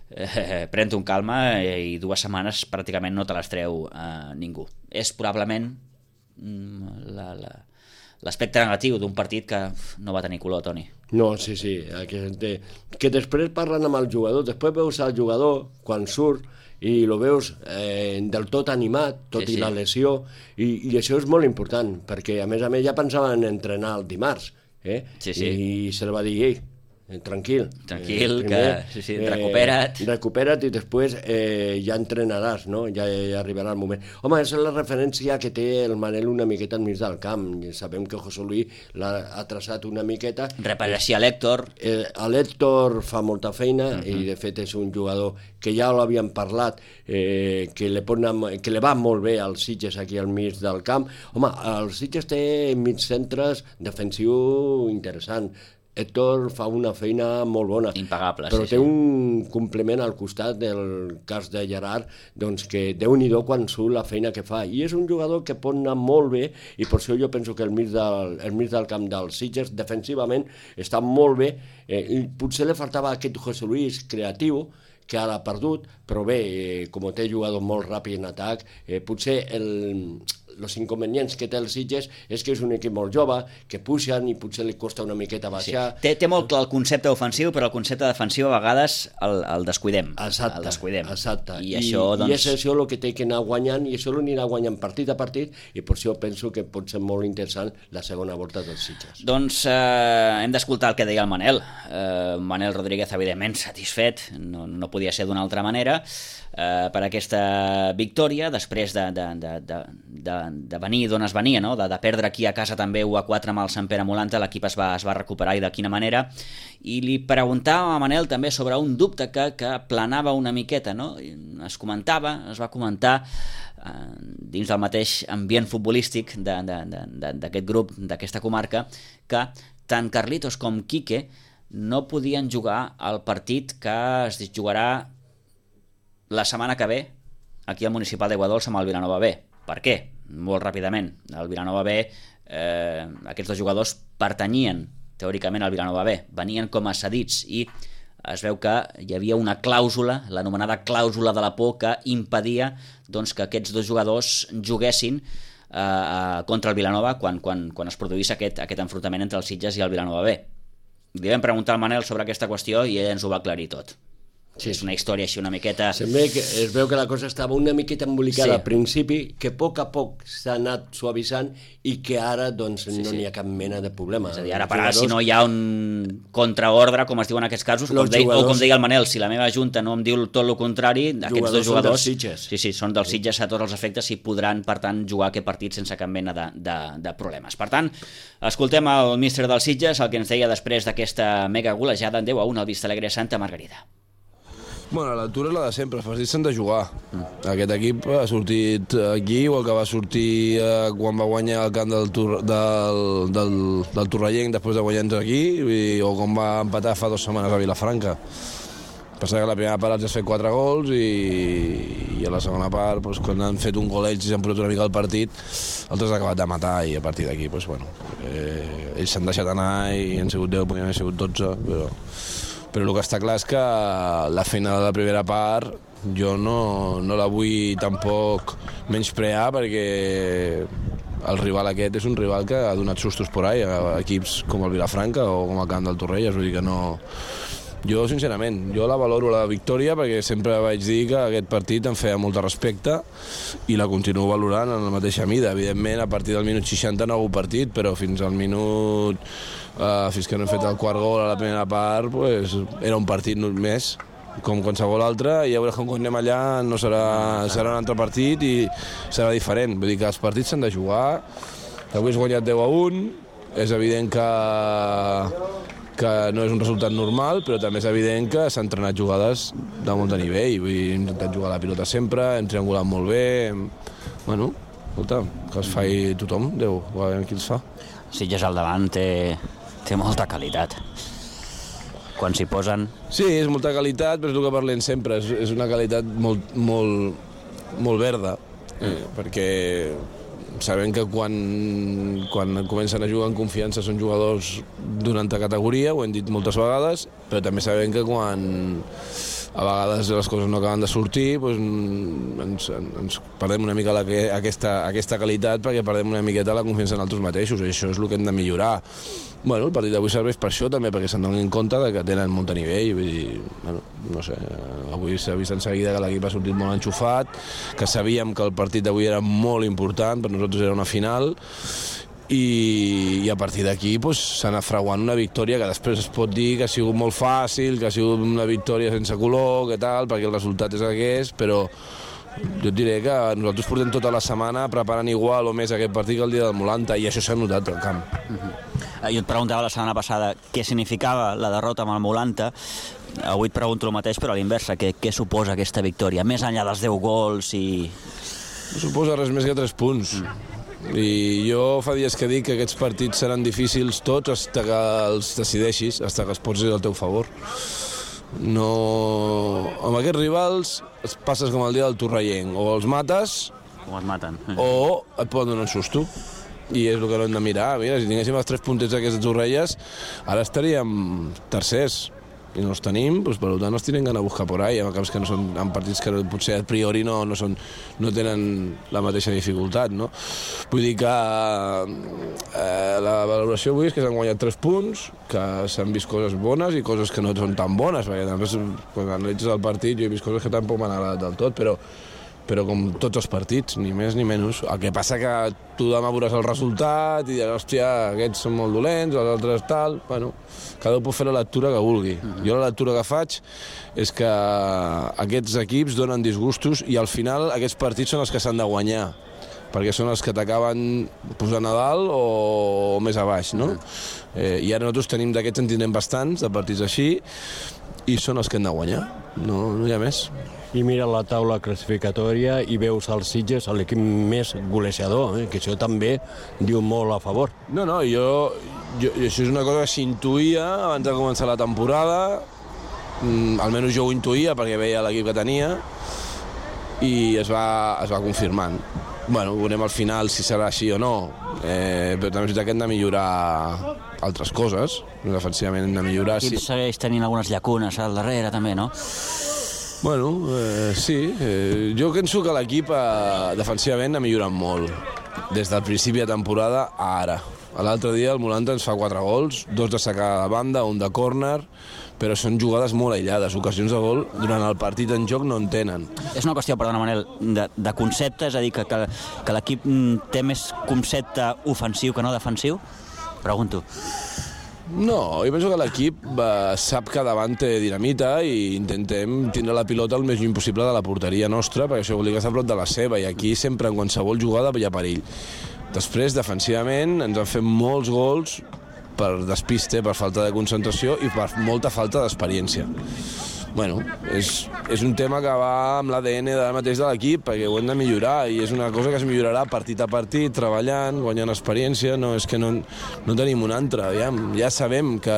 eh, pren-te un calma, eh, i dues setmanes pràcticament no te les treu eh, ningú. És probablement mm, la, la, l'aspecte negatiu d'un partit que no va tenir color, Toni. No, sí, sí, que, que després parlen amb el jugador, després veus el jugador quan surt i lo veus eh, del tot animat, tot Sí, i sí. la lesió, i, i això és molt important, perquè a més a més ja pensaven en entrenar el dimarts, eh? Sí, sí. I se li va dir, ei, eh, tranquil. Tranquil, que- sí, sí, recupera't. Recupera't i després eh, ja entrenaràs, no? Ja, ja arribarà el moment. Home, és la referència que té el Manel una miqueta enmig del camp. I sabem que José Luis l'ha ha traçat una miqueta. Repareixia l'Hèctor. Eh, l'Hèctor fa molta feina uh -huh. i de fet és un jugador que ja l'havíem parlat, eh, que, li pot anar, que li va molt bé als Sitges aquí al mig del camp. Home, el Sitges té mig centres defensiu interessant. Héctor fa una feina molt bona, Impagable, però sí, té sí. un complement al costat del cas de Gerard, doncs que déu-n'hi-do quan surt la feina que fa, i és un jugador que pot anar molt bé, i per això jo penso que el mig del, el mig del camp dels Sitges defensivament està molt bé, eh, i potser li faltava aquest José Luis creatiu, que ara ha perdut, però bé, eh, com té jugador molt ràpid en atac, eh, potser el, els inconvenients que té el Sitges és que és un equip molt jove, que puixen i potser li costa una miqueta Sí. baixar. Té, té molt clar el concepte ofensiu, però el concepte defensiu a vegades el, el descuidem. Exacte, el descuidem. exacte. I, I, això, doncs... I és això el que té que anar guanyant, i això l'anirà guanyant partit a partit, i per això penso que pot ser molt interessant la segona volta dels Sitges. Doncs eh, hem d'escoltar el que deia el Manel. Eh, Manel Rodríguez, evidentment, satisfet, no, no podia ser d'una altra manera, eh, per aquesta victòria, després de, de, de, de, de, de venir d'on es venia, no? de, de perdre aquí a casa també u a quatre amb el Sant Pere Molanta, l'equip es va, es va recuperar i de quina manera. I li preguntava a Manel també sobre un dubte que, que planava una miqueta, no? Es comentava, es va comentar eh, dins del mateix ambient futbolístic d'aquest grup, d'aquesta comarca, que tant Carlitos com Quique no podien jugar al partit que es jugarà la setmana que ve aquí al Municipal d'Aiguadols amb el Vilanova B. Per què? Molt ràpidament. El Vilanova B, eh, aquests dos jugadors pertanyien teòricament al Vilanova B, venien com a cedits i es veu que hi havia una clàusula, l'anomenada clàusula de la por, que impedia doncs, que aquests dos jugadors juguessin eh, contra el Vilanova quan, quan, quan es produís aquest, aquest enfrontament entre els Sitges i el Vilanova B. Li vam preguntar al Manel sobre aquesta qüestió i ell ens ho va aclarir tot. Sí, és una història així una miqueta... Sembla que es veu que la cosa estava una miqueta embolicada sí. al principi, que a poc a poc s'ha anat suavitzant i que ara doncs, sí, no sí. n'hi ha cap mena de problema. És a dir, ara per ara, si no hi ha un contraordre, com es diu en aquests casos, com deia, jugadors... o com deia el Manel, si la meva junta no em diu tot el contrari, aquests dos jugadors... Són dels sí, sí, són dels Sitges a tots els efectes i podran, per tant, jugar aquest partit sense cap mena de, de, de problemes. Per tant, escoltem el míster dels Sitges, el que ens deia després d'aquesta mega golejada en deu a un al Vistalegre Santa Margarida. Bueno, l'altura és la de sempre, els partits s'han de jugar. Mm. Aquest equip ha sortit aquí, igual que va sortir eh, quan va guanyar el camp del, tur del, del, del Torrellenc després de guanyar-nos aquí, i, o com va empatar fa dues setmanes a Vilafranca. Passa que la primera part els has fet quatre gols i, i a la segona part, doncs, quan han fet un gol ells i s'han posat una mica el partit, altres han acabat de matar i a partir d'aquí, doncs, bueno, eh, ells s'han deixat anar i han sigut deu, podrien haver sigut dotze, però... Però el que està clar és que la feina de la primera part jo no, no la vull tampoc menysprear perquè el rival aquest és un rival que ha donat sustos por ahí a equips com el Vilafranca o com el camp del Torrelles, vull dir que no... Jo, sincerament, jo la valoro la victòria perquè sempre vaig dir que aquest partit em feia molt de respecte i la continuo valorant en la mateixa mida. Evidentment, a partir del minut seixanta no ha hagut partit, però fins al minut... Uh, fins que no hem fet el quart gol a la primera part, pues, era un partit més, com qualsevol altre, i a veure com quan anem allà no serà, serà un altre partit i serà diferent. Vull dir que els partits s'han de jugar, avui has guanyat deu a un, és evident que... que no és un resultat normal, però també és evident que s'han entrenat jugades de molt de nivell. Vull dir, hem intentat jugar la pilota sempre, hem triangulat molt bé... Hem... Bueno, escolta, que es faci tothom, Déu, a veure qui els fa. Sitges al davant té, té molta qualitat. Quan s'hi posen... Sí, és molta qualitat, però és el que parlem sempre, és, és una qualitat molt, molt, molt verda, eh, perquè... Sabem que quan, quan comencen a jugar en confiança són jugadors d'una altra categoria, ho hem dit moltes vegades, però també sabem que quan a vegades les coses no acaben de sortir, doncs ens, ens perdem una mica la, aquesta, aquesta qualitat perquè perdem una miqueta la confiança en nosaltres mateixos, i això és el que hem de millorar. Bueno, el partit d'avui serveix per això també, perquè se'n donin compte de que tenen molt de nivell, vull dir, bueno, no sé, avui s'ha vist en seguida que l'equip ha sortit molt enxufat, que sabíem que el partit d'avui era molt important, per nosaltres era una final, i, i a partir d'aquí pues, s'ha anat fraguant una victòria que després es pot dir que ha sigut molt fàcil, que ha sigut una victòria sense color, que tal, perquè el resultat és el que és, però jo et diré que nosaltres portem tota la setmana preparant igual o més aquest partit que el dia del Molanta, i això s'ha notat al camp. Uh-huh. Jo et preguntava la setmana passada què significava la derrota amb el Molanta. Avui et pregunto el mateix, però a l'inversa, què, què suposa aquesta victòria? Més enllà dels deu gols i... No suposa res més que tres punts. Mm. I jo fa dies que dic que aquests partits seran difícils tots fins que els decideixis, fins que es posis al teu favor. No... Amb aquests rivals es passes com el dia del Torrellenc, o els mates... O els maten. O et poden donar un susto. I és el que no hem de mirar. Mira, si tinguéssim els tres puntets d'aquestes Torrelles, ara estaríem tercers. I no els tenim, doncs, per tant els tenen d'anar a buscar por ahí, en camps que no són, en partits que potser a priori no, no, són, no tenen la mateixa dificultat, no? Vull dir que eh, la valoració avui és que s'han guanyat tres punts, que s'han vist coses bones i coses que no són tan bones, perquè també quan analitzes el partit jo he vist coses que tampoc m'han agradat del tot, però però com tots els partits, ni més ni menys. El que passa que tu demà veuràs el resultat i diràs, hòstia, aquests són molt dolents, els altres tal... Bueno, cada un pot fer la lectura que vulgui. Uh-huh. Jo la lectura que faig és que aquests equips donen disgustos i al final aquests partits són els que s'han de guanyar. perquè són els que t'acaben posant a dalt o més a baix, no? Eh, I ara nosaltres tenim d'aquests, en tindrem bastants, de partits així, i són els que han de guanyar, no, no hi ha més. I mira la taula classificatòria i veus els Sitges, l'equip més golejador, eh? Que això també diu molt a favor. No, no, jo, jo, això és una cosa que s'intuïa abans de començar la temporada, mm, almenys jo ho intuïa perquè veia l'equip que tenia, i es va, es va confirmant. Bueno, veurem al final si serà així o no, eh, però també és veritat que hem de millorar altres coses, defensivament hem de millorar. L'equip sí. segueix tenint algunes llacunes al darrere, també, no? Bueno, eh, sí, eh, jo penso que l'equip eh, defensivament ha millorat molt, des del principi de temporada a ara. L'altre dia el Molanta ens fa quatre gols, dos de sacada de banda, un de córner, però són jugades molt aïllades, ocasions de gol durant el partit en joc no en tenen. És una qüestió, perdona Manel, de, de concepte, és a dir, que, que, que l'equip té més concepte ofensiu que no defensiu? Pregunto. No, jo penso que l'equip eh, sap que davant té dinamita i intentem tindre la pilota el més lluny possible de la porteria nostra, perquè això vol dir que està a prop de la seva, i aquí sempre en qualsevol jugada hi ha perill. Després, defensivament, ens han fet molts gols per despiste, per falta de concentració i per molta falta d'experiència. Bueno, és, és un tema que va amb l'A D N de mateix de l'equip, perquè ho hem de millorar, i és una cosa que es millorarà partit a partit, treballant, guanyant experiència. No és que no, no tenim una altra. Ja, ja sabem que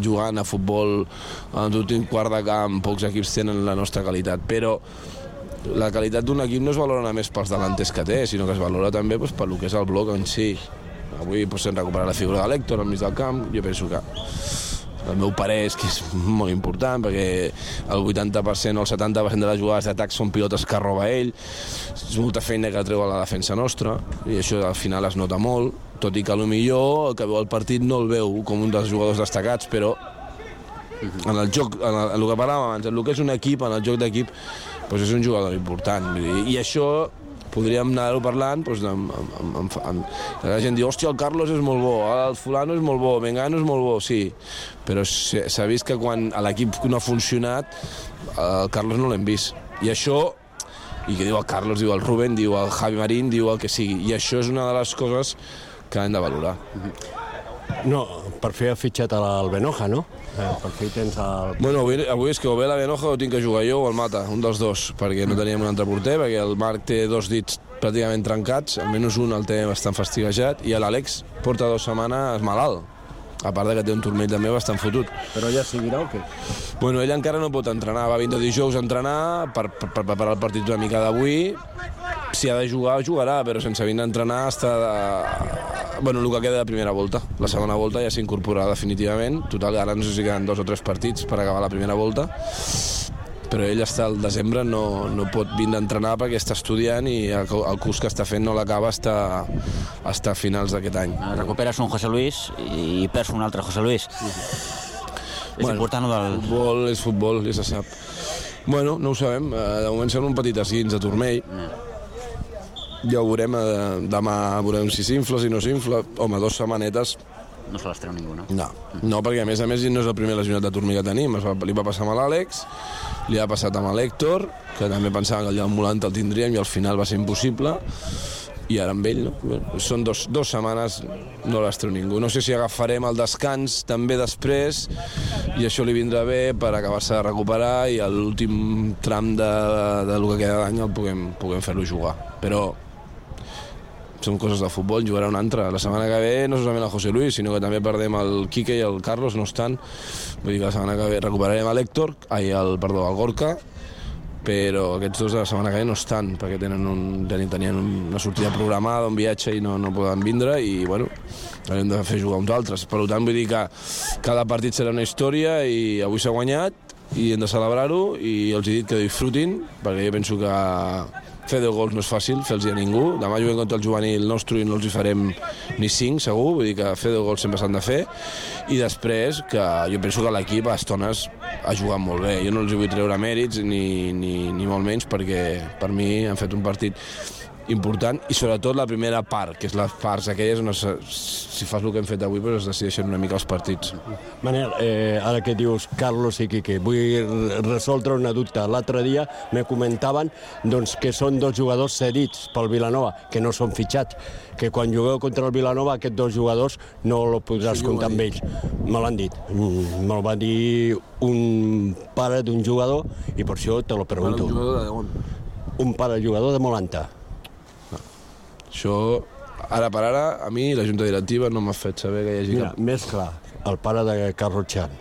jugant a futbol en l'últim quart de camp pocs equips tenen la nostra qualitat, però la qualitat d'un equip no es valora només pels delanters que té, sinó que es valora també doncs, per lo que és el bloc en si. Avui doncs, hem recuperat la figura de l'Hèctor al mig del camp. Jo penso que el meu parer és que és molt important, perquè el vuitanta per cent o el setanta per cent de les jugades d'atac són pilotes que roba ell. És molta feina que treu a la defensa nostra, i això al final es nota molt, tot i que potser el que veu el partit no el veu com un dels jugadors destacats, però en el joc, en el, en el que parlàvem abans, en el que és un equip, en el joc d'equip, doncs és un jugador important. I això podríem anar-ho parlant, doncs, amb, amb, amb, amb, la gent diu, hòstia, el Carlos és molt bo, el fulano és molt bo, Mengano és molt bo, sí, però s'ha vist que quan l'equip no ha funcionat, el Carlos no l'hem vist. I això, i que diu el Carlos, diu el Rubén, diu el Javi Marín, diu el que sigui, i això és una de les coses que hem de valorar. No, per fi ha fitxat el Benoja, no? Eh, per fi tens el... Bueno, avui, avui és que o bé la Benoja o tinc que jugar jo o el Mata, un dels dos, perquè no teníem un altre porter, perquè el Marc té dos dits pràcticament trencats, almenys un el té bastant fastiguejat, i l'Àlex porta dues setmanes malalt, a part de que té un turmell també bastant fotut. Però ja seguirà o què? Bueno, ell encara no pot entrenar, va vindre dijous a entrenar per, per, per preparar el partit una mica d'avui. Si ha de jugar, jugarà, però sense vindre a entrenar està de... Bueno, el que queda de primera volta. La segona volta ja s'incorporarà definitivament. Total, ara no sé si queden dos o tres partits per acabar la primera volta. Però ell està al desembre, no, no pot vindre a entrenar perquè està estudiant i el, el curs que està fent no l'acaba està, està a finals d'aquest any. Recuperes un José Luis i perds un altre José Luis. És bueno, important o del... Futbol és futbol, ja se sap. Bueno, no ho sabem. De moment sembla un petit esguins de turmell. Ja ho veurem, demà veurem si s'infla, si no s'infla. Home, dos setmanetes... No se les treu ningú, no? No, no, perquè a més a més no és el primer lesionat de turmell que tenim. Es va, li va passar amb l'Àlex, li ha passat amb l'Hèctor, que també pensava que allà al Molanta el tindríem i al final va ser impossible, i ara amb ell, no? Bueno, són dos, dos setmanes, no les treu ningú. No sé si agafarem el descans també després, i això li vindrà bé per acabar-se de recuperar i a l'últim tram de, de, de lo que queda d'any el puguem, puguem fer-lo jugar. Però són coses de futbol, jugarà un altre. La setmana que ve no solament el José Luis, sinó que també perdem el Quique i el Carlos, no estan. Vull dir que la setmana que ve recuperarem l'Hèctor, ai, el, perdó, el Gorka, però aquests dos de la setmana que ve no estan, perquè tenen, un, tenien una sortida programada, un viatge i no, no poden vindre, i bueno, hem de fer jugar uns altres. Per tant, vull dir que cada partit serà una història i avui s'ha guanyat i hem de celebrar-ho, i els he dit que disfrutin, perquè jo penso que fer deu gols no és fàcil, fer-los a ningú. Demà juguem contra el juvenil nostre i no els hi farem ni cinc, segur. Vull dir que fer deu gols sempre s'han de fer. I després, que jo penso que l'equip a estones ha jugat molt bé. Jo no els vull treure mèrits, ni, ni, ni molt menys, perquè per mi han fet un partit important, i sobretot la primera part, que és les parts aquelles on es, si fas el que hem fet avui doncs es decideixen una mica els partits. Manel, eh, ara que dius Carlos i Quique, vull resoldre una dubte. L'altre dia me comentaven doncs, que són dos jugadors cedits pel Vilanova, que no són fitxats, que quan jugueu contra el Vilanova aquests dos jugadors no el podràs sí, comptar amb ells. Me l'han dit. Me'l va dir un pare d'un jugador i per això te lo pregunto. Un jugador de on? Un pare jugador de Molanta. Això, ara per ara, a mi la junta directiva no m'ha fet saber que hi hagi Mira, cap... més clar, el pare de Carlos Chan.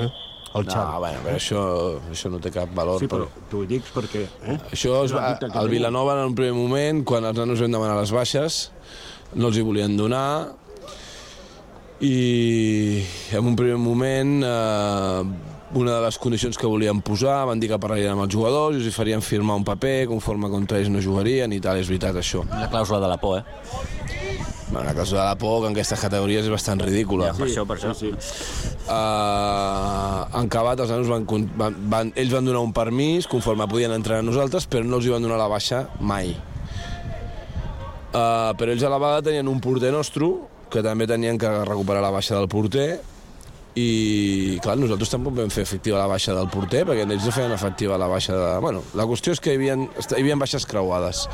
Eh? El Chan. No, bueno, però això, això no té cap valor. Sí, però t'ho dic perquè... Eh? Això, es va, el Vilanova, en un primer moment, quan els nanos vam demanar les baixes, no els hi volien donar, i en un primer moment... Eh, una de les condicions que volien posar, van dir que parlarien amb els jugadors i els farien firmar un paper conforme contra ells no jugarien i tal, és veritat això. La clàusula de la por, eh? Bueno, la clàusula de la por, que en aquestes categories és bastant ridícula. Ja, per això, per això. Sí, sí. Uh, en acabat, els nanos van, van, van, ells van donar un permís conforme podien entrar a nosaltres, però no els hi van donar la baixa mai. Uh, però ells a la vegada tenien un porter nostre, que també tenien que recuperar la baixa del porter, i clar, nosaltres tampoc vam fer efectiva la baixa del porter perquè ells no feien efectiva la baixa de... Bueno, la qüestió és que hi havia, hi havia baixes creuades.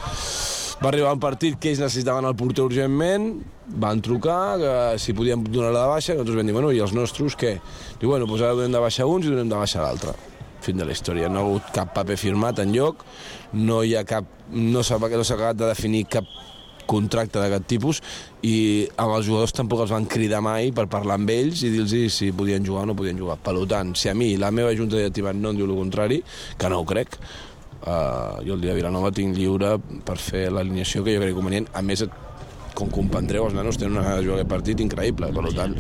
Va arribar un partit que ells necessitaven el porter urgentment, van trucar que si podíem donar la baixa, i nosaltres vam dir, bueno, i els nostres què? Diu, bueno, doncs ara donem de baixa uns i donem de baixa l'altre. Fin de la història. No ha hagut cap paper firmat enlloc, no hi ha cap... no s'ha no s'ha acabat de definir cap contracte d'aquest tipus i amb els jugadors tampoc els van cridar mai per parlar amb ells i dir-los si podien jugar o no podien jugar. Per tant, si a mi la meva junta directiva no em diu el contrari, que no ho crec, uh, jo el dia de Vilanova tinc lliure per fer l'alineació que jo crec convenient. A més, com comprendreu, els nanos tenen una gana de jugar aquest partit increïble, per tant,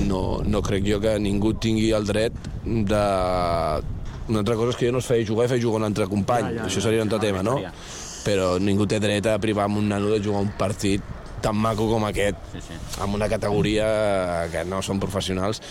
no, no crec jo que ningú tingui el dret de... Una altra cosa és que jo no es feia jugar i feia jugar un altre company, ja, ja, això seria un altre tema, no? Però ningú té dret a privar amb un nano de jugar un partit tan maco com aquest, sí, sí. amb una categoria que no són professionals,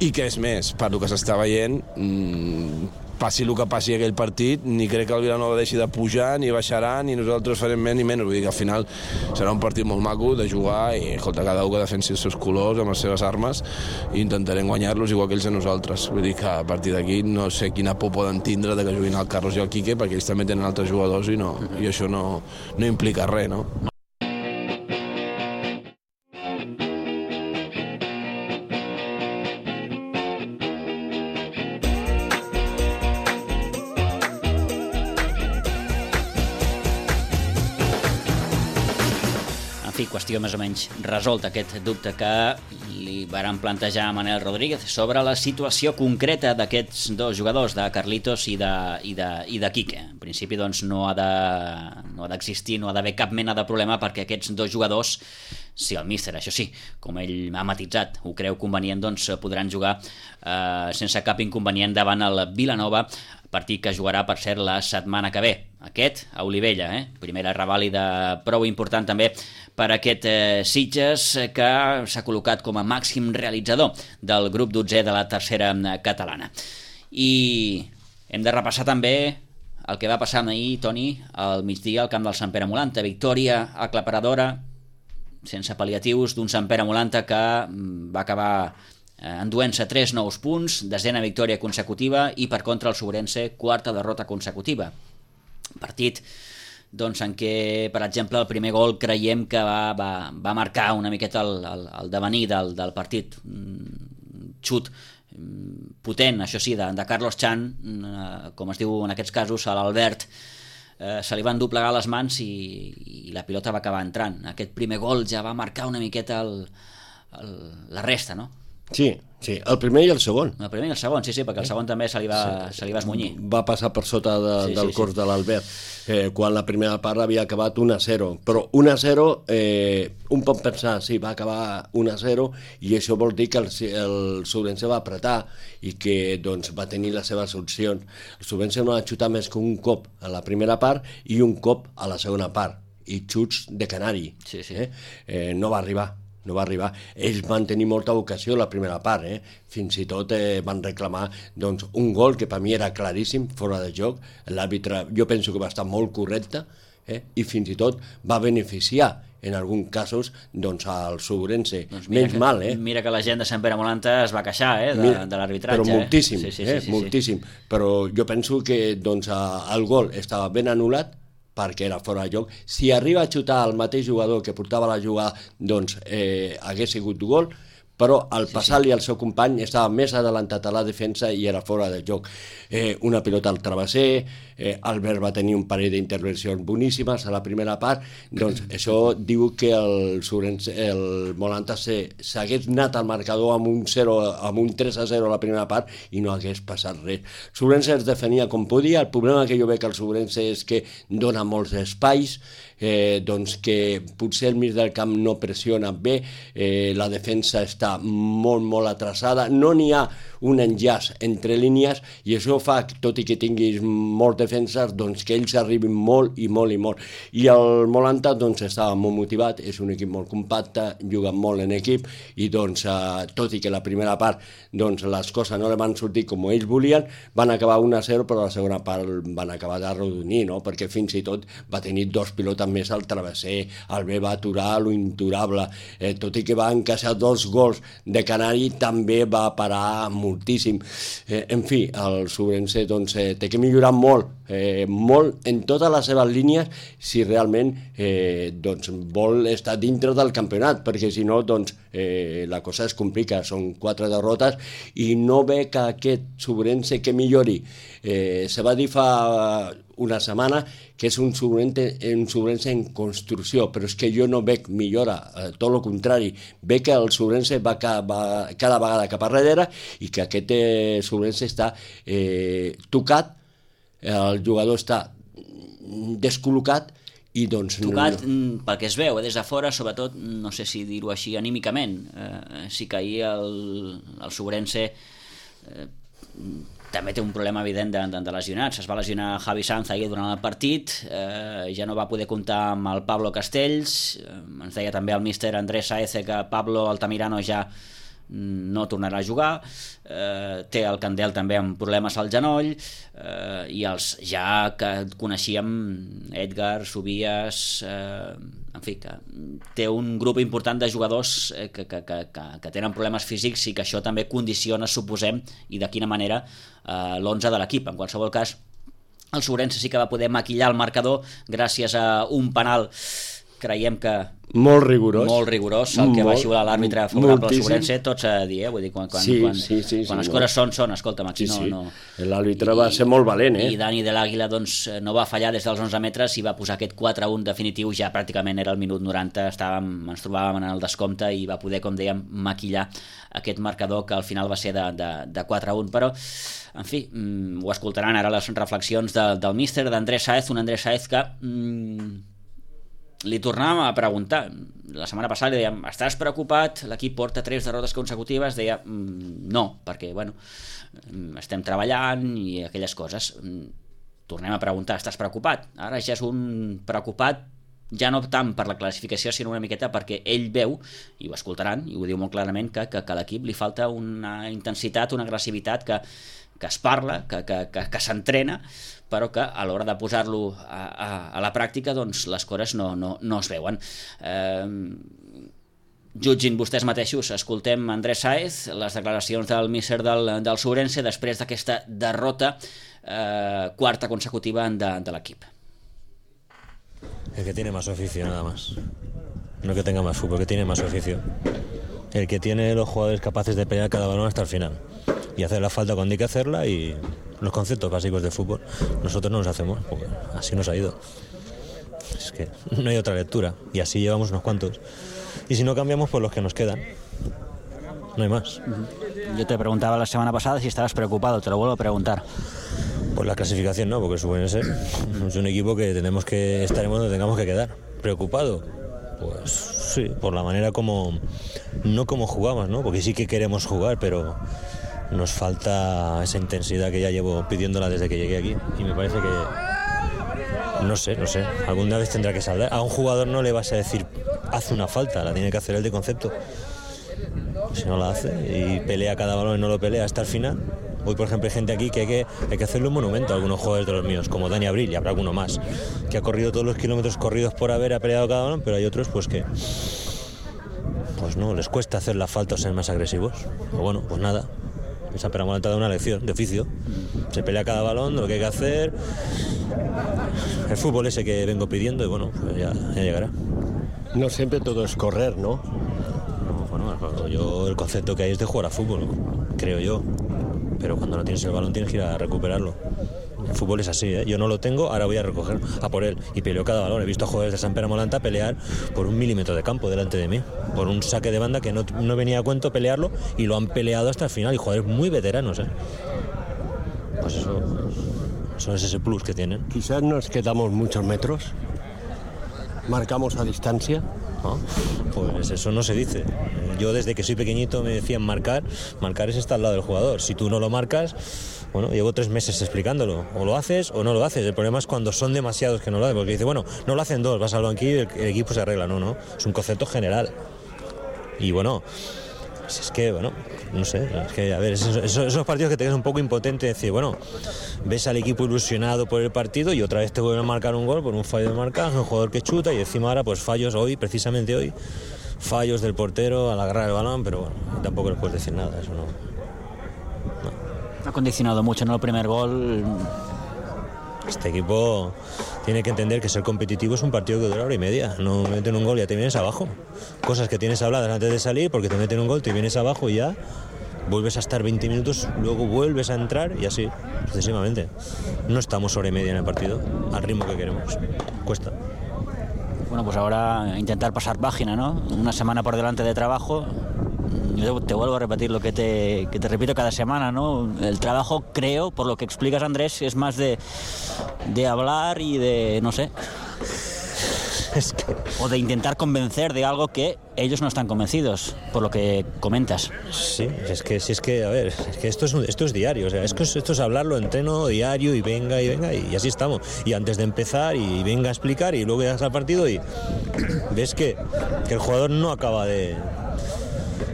i que és més, per el que s'està veient, mmm, passi el que passi aquell partit, ni crec que el Vilanova deixi de pujar, ni baixarà, ni nosaltres farem més ni menys. Vull dir que al final serà un partit molt maco de jugar i, escolta, cada un que defensi els seus colors amb les seves armes i intentarem guanyar-los igual que ells a nosaltres. Vull dir que a partir d'aquí no sé quina por poden tindre de que juguin el Carlos i el Quique, perquè ells també tenen altres jugadors i, no, i això no, no implica res, no? Qüestió més o menys resolt aquest dubte que li varen plantejar a Manel Rodríguez sobre la situació concreta d'aquests dos jugadors, de Carlitos i de, i de, i de Quique. En principi doncs, no ha de, no ha d'existir, no ha d'haver cap mena de problema perquè aquests dos jugadors, si el míster, això sí, com ell ha matitzat, ho creu convenient, doncs podran jugar eh, sense cap inconvenient davant el Vilanova, partit que jugarà, per cert, la setmana que ve. Aquest, a Olivella, eh? Primera revàlida prou important també per aquest eh, Sitges, que s'ha col·locat com a màxim realitzador del grup dotzè de la tercera catalana. I hem de repassar també el que va passar ahir, Toni, al migdia al camp del Sant Pere Molanta. Victòria aclaparadora, sense pal·liatius, d'un Sant Pere Molanta que va acabar enduent-se tres nous punts, desena victòria consecutiva, i per contra el Sobrense, quarta derrota consecutiva. Partit doncs, en què, per exemple, el primer gol creiem que va, va, va marcar una miqueta el, el, el devenir del, del partit. Un xut potent, això sí, de, de Carlos Chan, com es diu en aquests casos, a l'Albert, eh, se li van doblegar les mans i, i la pilota va acabar entrant. Aquest primer gol ja va marcar una miqueta el, el, la resta, no? Sí, sí, el primer i el segon. El primer i el segon, sí, sí, perquè el segon també se li va, sí, se li va esmunyir. Va passar per sota de, sí, del sí, cors sí. de l'Albert, eh, quan la primera part havia acabat un a zero. Però un a zero, eh, un pot pensar, sí, va acabar un a zero, i això vol dir que el, el Sobrense va apretar i que doncs, va tenir les seves opcions. El Sobrense no va xutar més que un cop a la primera part i un cop a la segona part, i xuts de canari. Sí, sí. Eh? Eh, no va arribar. no va arribar. Ells van tenir molta vocació la primera part, eh? Fins i tot eh, van reclamar doncs, un gol que per mi era claríssim, fora de joc. L'àrbitre, jo penso que va estar molt correcte, eh? I fins i tot va beneficiar en alguns casos, doncs, al Subrense. Doncs menys que, mal, eh? Mira que la gent de Sant Pere Molanta es va queixar, eh, de, Mira, de l'arbitratge. Però moltíssim, eh? sí, sí, eh? sí, sí, moltíssim. Sí. Però jo penso que, doncs, el gol estava ben anul·lat perquè era fora de joc. Si arriba a xutar el mateix jugador que portava la jugada, doncs eh, hagués sigut gol, però al passar-li al seu company estava més adelantat a la defensa i era fora de joc. Eh, una pilota al travesser, eh, Albert va tenir un parell d'intervencions boníssimes a la primera part, doncs això diu que el, Surense, el Molanta s'hagués anat al marcador amb un, zero, amb un tres a zero a la primera part i no hagués passat res. Subrense es defenia com podia, el problema que jo veig al Subrense és que dona molts espais, eh, doncs que potser el mig del camp no pressiona bé, eh, la defensa està molt, molt atrasada, no n'hi ha un enllaç entre línies i això fa, tot i que tinguis molts defenses, doncs que ells arribin molt i molt i molt. I el Molanta doncs estava molt motivat, és un equip molt compacte, juga molt en equip i doncs eh, tot i que la primera part doncs les coses no li van sortir com ells volien, van acabar un a zero, però la segona part van acabar d'arrodonir, no? Perquè fins i tot va tenir dos pilotes més al travesser, el B va aturar lo inturable, eh, tot i que va encaixar dos gols de Canari, també va parar moltíssim. Eh, en fi, el Subrense doncs, eh, té que millorar molt, eh, molt en totes les seves línies si realment eh, doncs, vol estar dintre del campionat, perquè si no doncs, eh, la cosa es complica, són quatre derrotes i no ve que aquest Subrense que millori. Eh, se va dir fa una setmana que és un Subrense, un Subrense en construcció, però és que jo no veig millora, eh, tot el contrari, veig que el Subrense va, ca, va cada vegada cap a darrere i que aquest eh, Subrense està eh, tocat, el jugador està descol·locat i doncs... Tocat, no... pel que es veu, eh, des de fora, sobretot, no sé si dir-ho així anímicament, eh, sí que ahir el, el Subrense eh, també té un problema evident de, de, de lesionats. Es va lesionar Javi Sanz ahir durant el partit, eh, ja no va poder comptar amb el Pablo Castells, eh, ens deia també el míster Andrés Saez que Pablo Altamirano ja no tornarà a jugar, eh, té el Candel també amb problemes al genoll, eh, i els ja que coneixíem, Edgar, Subias, eh, en fi, que té un grup important de jugadors eh, que, que, que, que tenen problemes físics i que això també condiciona, suposem, i de quina manera eh, l'onze de l'equip. En qualsevol cas, el Subrense sí que va poder maquillar el marcador gràcies a un penal, creiem que molt rigorós, molt rigorós el que molt, va xiular l'àrbitre favorable al Subrense, tots a dir, eh? Vull dir, quan, quan, sí, quan, sí, sí, quan sí, les no. coses són, són, escolta'm, aquí sí, no... sí. no... L'àrbitre va ser molt valent, eh? I Dani de l'Àguila doncs, no va fallar des dels onze metres i va posar aquest quatre a un definitiu, ja pràcticament era el minut noranta, estàvem, ens trobàvem en el descompte i va poder, com dèiem, maquillar aquest marcador que al final va ser de, de, de quatre a un, però en fi, mm, ho escoltaran ara les reflexions de, del míster, d'Andrés Saez, un Andrés Saez que... Mm, li tornàvem a preguntar la setmana passada, li dèiem, estàs preocupat? L'equip porta tres derrotes consecutives, deia no, perquè bueno, estem treballant i aquelles coses. Tornem a preguntar, estàs preocupat? Ara ja és un preocupat ja no tant per la classificació sinó una miqueta perquè ell veu, i ho escoltaran i ho diu molt clarament, que, que, que a l'equip li falta una intensitat, una agressivitat que, que es parla, que, que, que, que s'entrena, però que a l'hora de posar-lo a, a, a la pràctica doncs les coses no, no, no es veuen. Eh, jutgin vostès mateixos, escoltem Andrés Saez, les declaracions del míster del, del Subrense després d'aquesta derrota eh, quarta consecutiva de, de l'equip. El que tiene más oficio, nada más. No que tenga más fútbol, que tiene más oficio. El que tiene los jugadores capaces de pelear cada balón hasta el final y hacer la falta cuando hay que hacerla, y los conceptos básicos del fútbol nosotros no los hacemos porque así nos ha ido. Es que no hay otra lectura y así llevamos unos cuantos, y si no cambiamos pues los que nos quedan, no hay más. Yo te preguntaba la semana pasada si estabas preocupado, te lo vuelvo a preguntar. Pues la clasificación no, porque el Subrense es un equipo que tenemos que estaremos donde tengamos que quedar. ¿Preocupado? Pues sí, por la manera como, no como jugamos, ¿no? Porque sí que queremos jugar, pero nos falta esa intensidad que ya llevo pidiéndola desde que llegué aquí, y me parece que no sé, no sé, alguna vez tendrá que saldar. A un jugador no le vas a decir haz una falta, la tiene que hacer él de concepto. Si no la hace y pelea cada balón y no lo pelea hasta el final, Hoy, por ejemplo, hay gente aquí que hay que, hay que hacerle un monumento a algunos jugadores de los míos, como Dani Abril, y habrá alguno más, que ha corrido todos los kilómetros corridos por haber, ha peleado cada uno, pero hay otros pues que pues no, les cuesta hacer la falta o ser más agresivos. Pero bueno, pues nada, esa Peramolanca da una lección de oficio. Se pelea cada balón, de lo que hay que hacer. El fútbol ese que vengo pidiendo y bueno, pues ya, ya llegará. No siempre todo es correr, ¿no? No, bueno, yo el concepto que hay es de jugar a fútbol, creo yo. Pero cuando no tienes el balón tienes que ir a recuperarlo. El fútbol es así, ¿eh? Yo no lo tengo, ahora voy a recoger a por él. Y peleo cada balón. He visto a jugadores de Sant Pere Molanta pelear por un milímetro de campo delante de mí. Por un saque de banda que no, no venía a cuento pelearlo y lo han peleado hasta el final. Y jugadores muy veteranos, ¿eh? Pues eso, eso es ese plus que tienen. Quizás nos quedamos muchos metros. Marcamos a distancia. ¿No? Pues eso no se dice. Yo desde que soy pequeñito me decían marcar. Marcar es estar al lado del jugador. Si tú no lo marcas, bueno, llevo tres meses explicándolo. O lo haces o no lo haces. El problema es cuando son demasiados que no lo hacen. Porque dice, bueno, no lo hacen dos, vas al banquillo y el, el equipo se arregla. No, no. Es un concepto general. Y bueno, es que, bueno, no sé. Es que, a ver, esos, esos partidos que te quedas un poco impotente. Decir, bueno, ves al equipo ilusionado por el partido y otra vez te vuelven a marcar un gol por un fallo de marcaje, un jugador que chuta y encima ahora pues fallos hoy, precisamente hoy. Fallos del portero al agarrar el balón, pero bueno, tampoco les puedes decir nada, eso no. no. Ha condicionado mucho, ¿no? El primer gol. Este equipo tiene que entender que ser competitivo es un partido que dura hora y media. No meten un gol y ya te vienes abajo. Cosas que tienes habladas antes de salir, porque te meten un gol, te vienes abajo y ya vuelves a estar veinte minutos, luego vuelves a entrar y así, sucesivamente. No estamos hora y media en el partido, al ritmo que queremos. Cuesta. Bueno, pues ahora intentar pasar página, ¿no? Una semana por delante de trabajo. Yo te vuelvo a repetir lo que te, que te repito cada semana, ¿no? El trabajo, creo, por lo que explicas, Andrés, es más de, de hablar y de, no sé, es que... o de intentar convencer de algo que ellos no están convencidos, por lo que comentas. Sí, es que, si es que, a ver, es que esto es, esto es diario, o sea, es que esto es hablarlo, entreno diario y venga y venga y así estamos. Y antes de empezar y venga a explicar y luego llegas al partido y ves que, que el jugador no acaba de...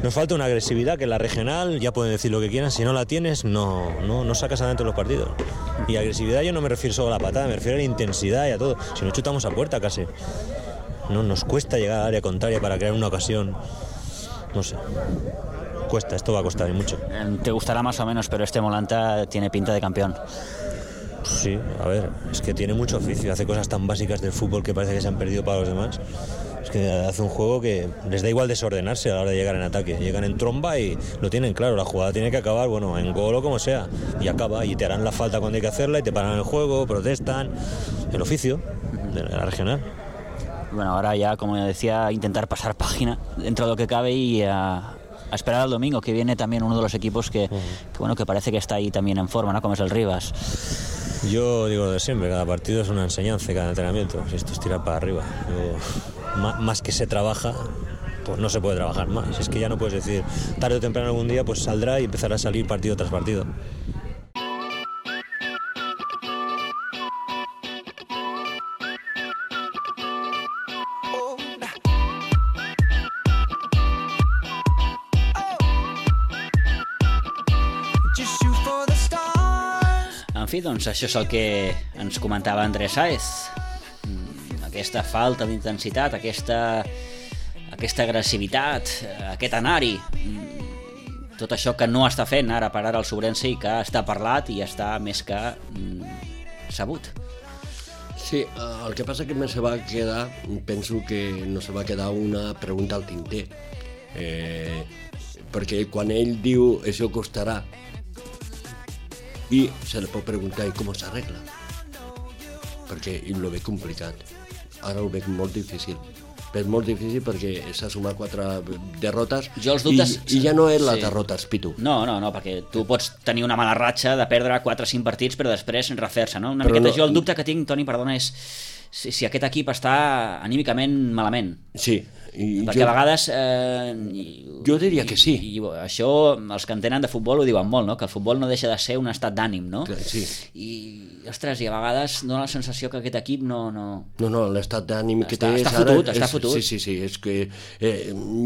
Nos falta una agresividad que en la regional, ya pueden decir lo que quieran, si no la tienes, no, no, no sacas adelante los partidos. Y agresividad yo no me refiero solo a la patada, me refiero a la intensidad y a todo. Si no chutamos a puerta casi. No, nos cuesta llegar al área contraria para crear una ocasión. No sé. Cuesta, esto va a costar y mucho. Te gustará más o menos, pero este Molanta tiene pinta de campeón. Sí, a ver, es que tiene mucho oficio, hace cosas tan básicas del fútbol que parece que se han perdido para los demás. Es que hace un juego que les da igual desordenarse a la hora de llegar en ataque. Llegan en tromba y lo tienen claro, la jugada tiene que acabar, bueno, en gol o como sea. Y acaba, y te harán la falta cuando hay que hacerla y te paran el juego, protestan. El oficio de la regional. Bueno, ahora ya, como decía, intentar pasar página dentro de lo que cabe y a, a esperar al domingo, que viene también uno de los equipos que, que, bueno, que parece que está ahí también en forma, ¿no? Como es el Rivas. Yo digo lo de siempre, cada partido es una enseñanza, cada entrenamiento. Si esto es tirar para arriba. Yo, más, más que se trabaja, pues no se puede trabajar más. Es que ya no puedes decir, tarde o temprano algún día pues saldrá y empezará a salir partido tras partido. En fi, doncs això és el que ens comentava Andrés Sáez. Aquesta falta d'intensitat, aquesta, aquesta agressivitat, aquest anar-hi, tot això que no està fent ara per ara el Sobrense i que està parlat i està més que mm, sabut. Sí, el que passa que me se va quedar, penso que no se va quedar una pregunta al tinter, eh, perquè quan ell diu això costarà, i se li pot preguntar i com s'arregla, perquè ho veig complicat, ara ho veig molt difícil, és molt difícil perquè s'ha sumat quatre derrotes jo els dubtes... i, i ja no és la sí. derrota, Pitu. No, no, no, perquè tu pots tenir una mala ratxa de perdre quatre o cinc partits però després refer-se, no? Una però miqueta no... jo el dubte que tinc, Toni, perdona, és si, si aquest equip està anímicament malament. Sí, I Perquè jo, a vegades... Eh, jo diria que sí. I, i això, els que entenen de futbol ho diuen molt, no? Que el futbol no deixa de ser un estat d'ànim, no? Sí. I, ostres, i a vegades dona la sensació que aquest equip no... No, no, no l'estat d'ànim que té... Està és fotut, ara, està és, fotut. Sí, sí, sí, és que eh,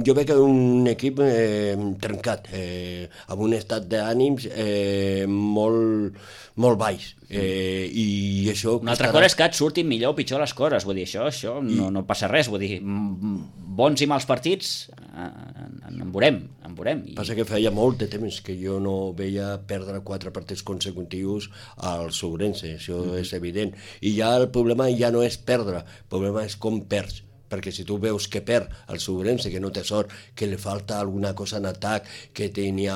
jo veig un equip eh, trencat, eh, amb un estat d'ànims eh, molt, molt baix. Eh, i això una altra cosa és que et surtin millor o pitjor les coses, vull dir, això, això no, no passa res, vull dir, bons i mals partits en, en veurem, en veurem. I... Passa que feia molt de temps que jo no veia perdre quatre partits consecutius al Sobrense, això mm. és evident, i ja el problema ja no és perdre, el problema és com perds, perquè si tu veus que perd el Sobrense, que no té sort, que li falta alguna cosa en atac, que tenia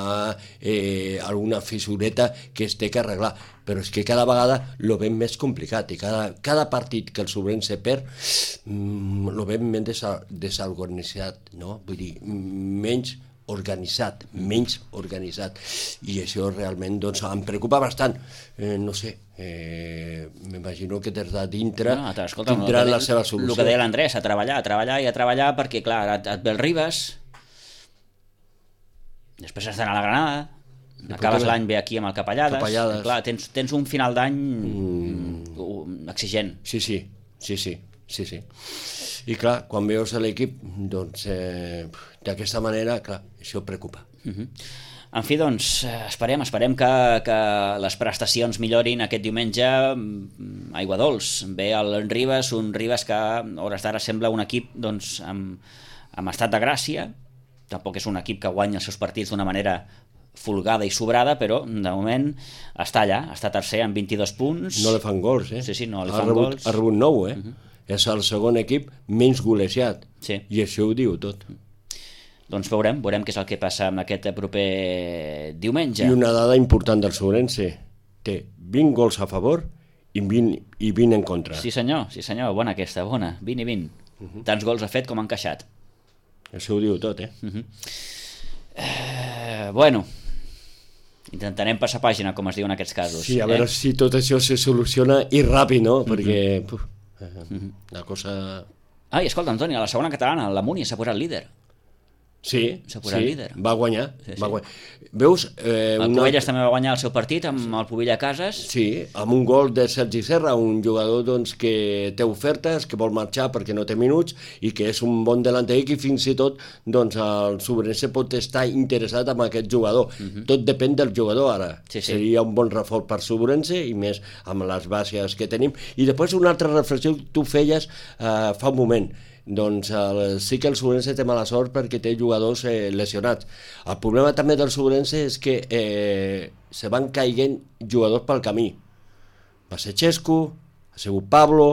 eh, alguna fissureta que es té que arreglar, però és que cada vegada lo veiem més complicat i cada, cada partit que el Sobrense perd mmm, lo veiem més desa, desorganitzat, no? Vull dir, menys organitzat, menys organitzat, i això realment doncs, em preocupa bastant, eh, no sé, eh, m'imagino que des de dintre no, escolta, tindran no, la seva solució. El que deia l'Andrés, a treballar, a treballar i a treballar, perquè clar, et, et ve el Ribes, després has d'anar a la Granada, acabes l'any bé aquí amb el Capellades, Capellades. Clar, tens, tens un final d'any mm. exigent. Sí, sí, sí, sí, sí, sí. I clar, quan veus l'equip, doncs, eh, d'aquesta manera, clar, això preocupa. Uh-huh. En fi, doncs, esperem, esperem que, que les prestacions millorin aquest diumenge a Aiguadols. Ve el Ribes, un Ribes que a hores d'ara sembla un equip doncs, amb, amb estat de gràcia, tampoc és un equip que guanya els seus partits d'una manera folgada i sobrada, però de moment està allà, està tercer amb vint-i-dos punts. No li fan gols, eh? Sí, sí, no li ha fan rebut, gols. Ha rebut nou, eh? Uh-huh. És el segon equip menys golejat, sí. I això ho diu tot. Doncs veurem, veurem què és el que passa amb aquest proper diumenge. I una dada important del Sobrense, té vint gols a favor i vint, i vint en contra. Sí senyor, sí senyor, bona aquesta, bona, vint i vint. Uh-huh. Tants gols ha fet com ha encaixat. Això ho diu tot, eh? Uh-huh. Eh, bueno, intentarem passar pàgina, com es diu en aquests casos. Sí, a eh? veure si tot això se soluciona i ràpid, no? Perquè uh-huh. puf, eh, uh-huh. la cosa... Ai, escolta, Antoni, a la segona catalana, la Múnia s'ha posat líder. Sí, s'ha posat sí, líder. Va guanyar, sí, sí. va guanyar. Veus? Eh, el una... Covelles també va guanyar el seu partit amb el Pubilla Cases. Sí, amb un gol de Sergi Serra, un jugador doncs, que té ofertes, que vol marxar perquè no té minuts i que és un bon delanter i que fins i tot doncs, el Sobrense pot estar interessat en aquest jugador. Uh-huh. Tot depèn del jugador ara. Sí, sí. Seria un bon reforç per Sobrense i més amb les bases que tenim. I després una altra reflexió que tu feies eh, fa un moment. Doncs el, sí que el Sobrense té mala sort perquè té jugadors eh, lesionats. El problema també del Sobrense és que eh, se van caient jugadors pel camí. Va ser Xesco, ha sigut Pablo.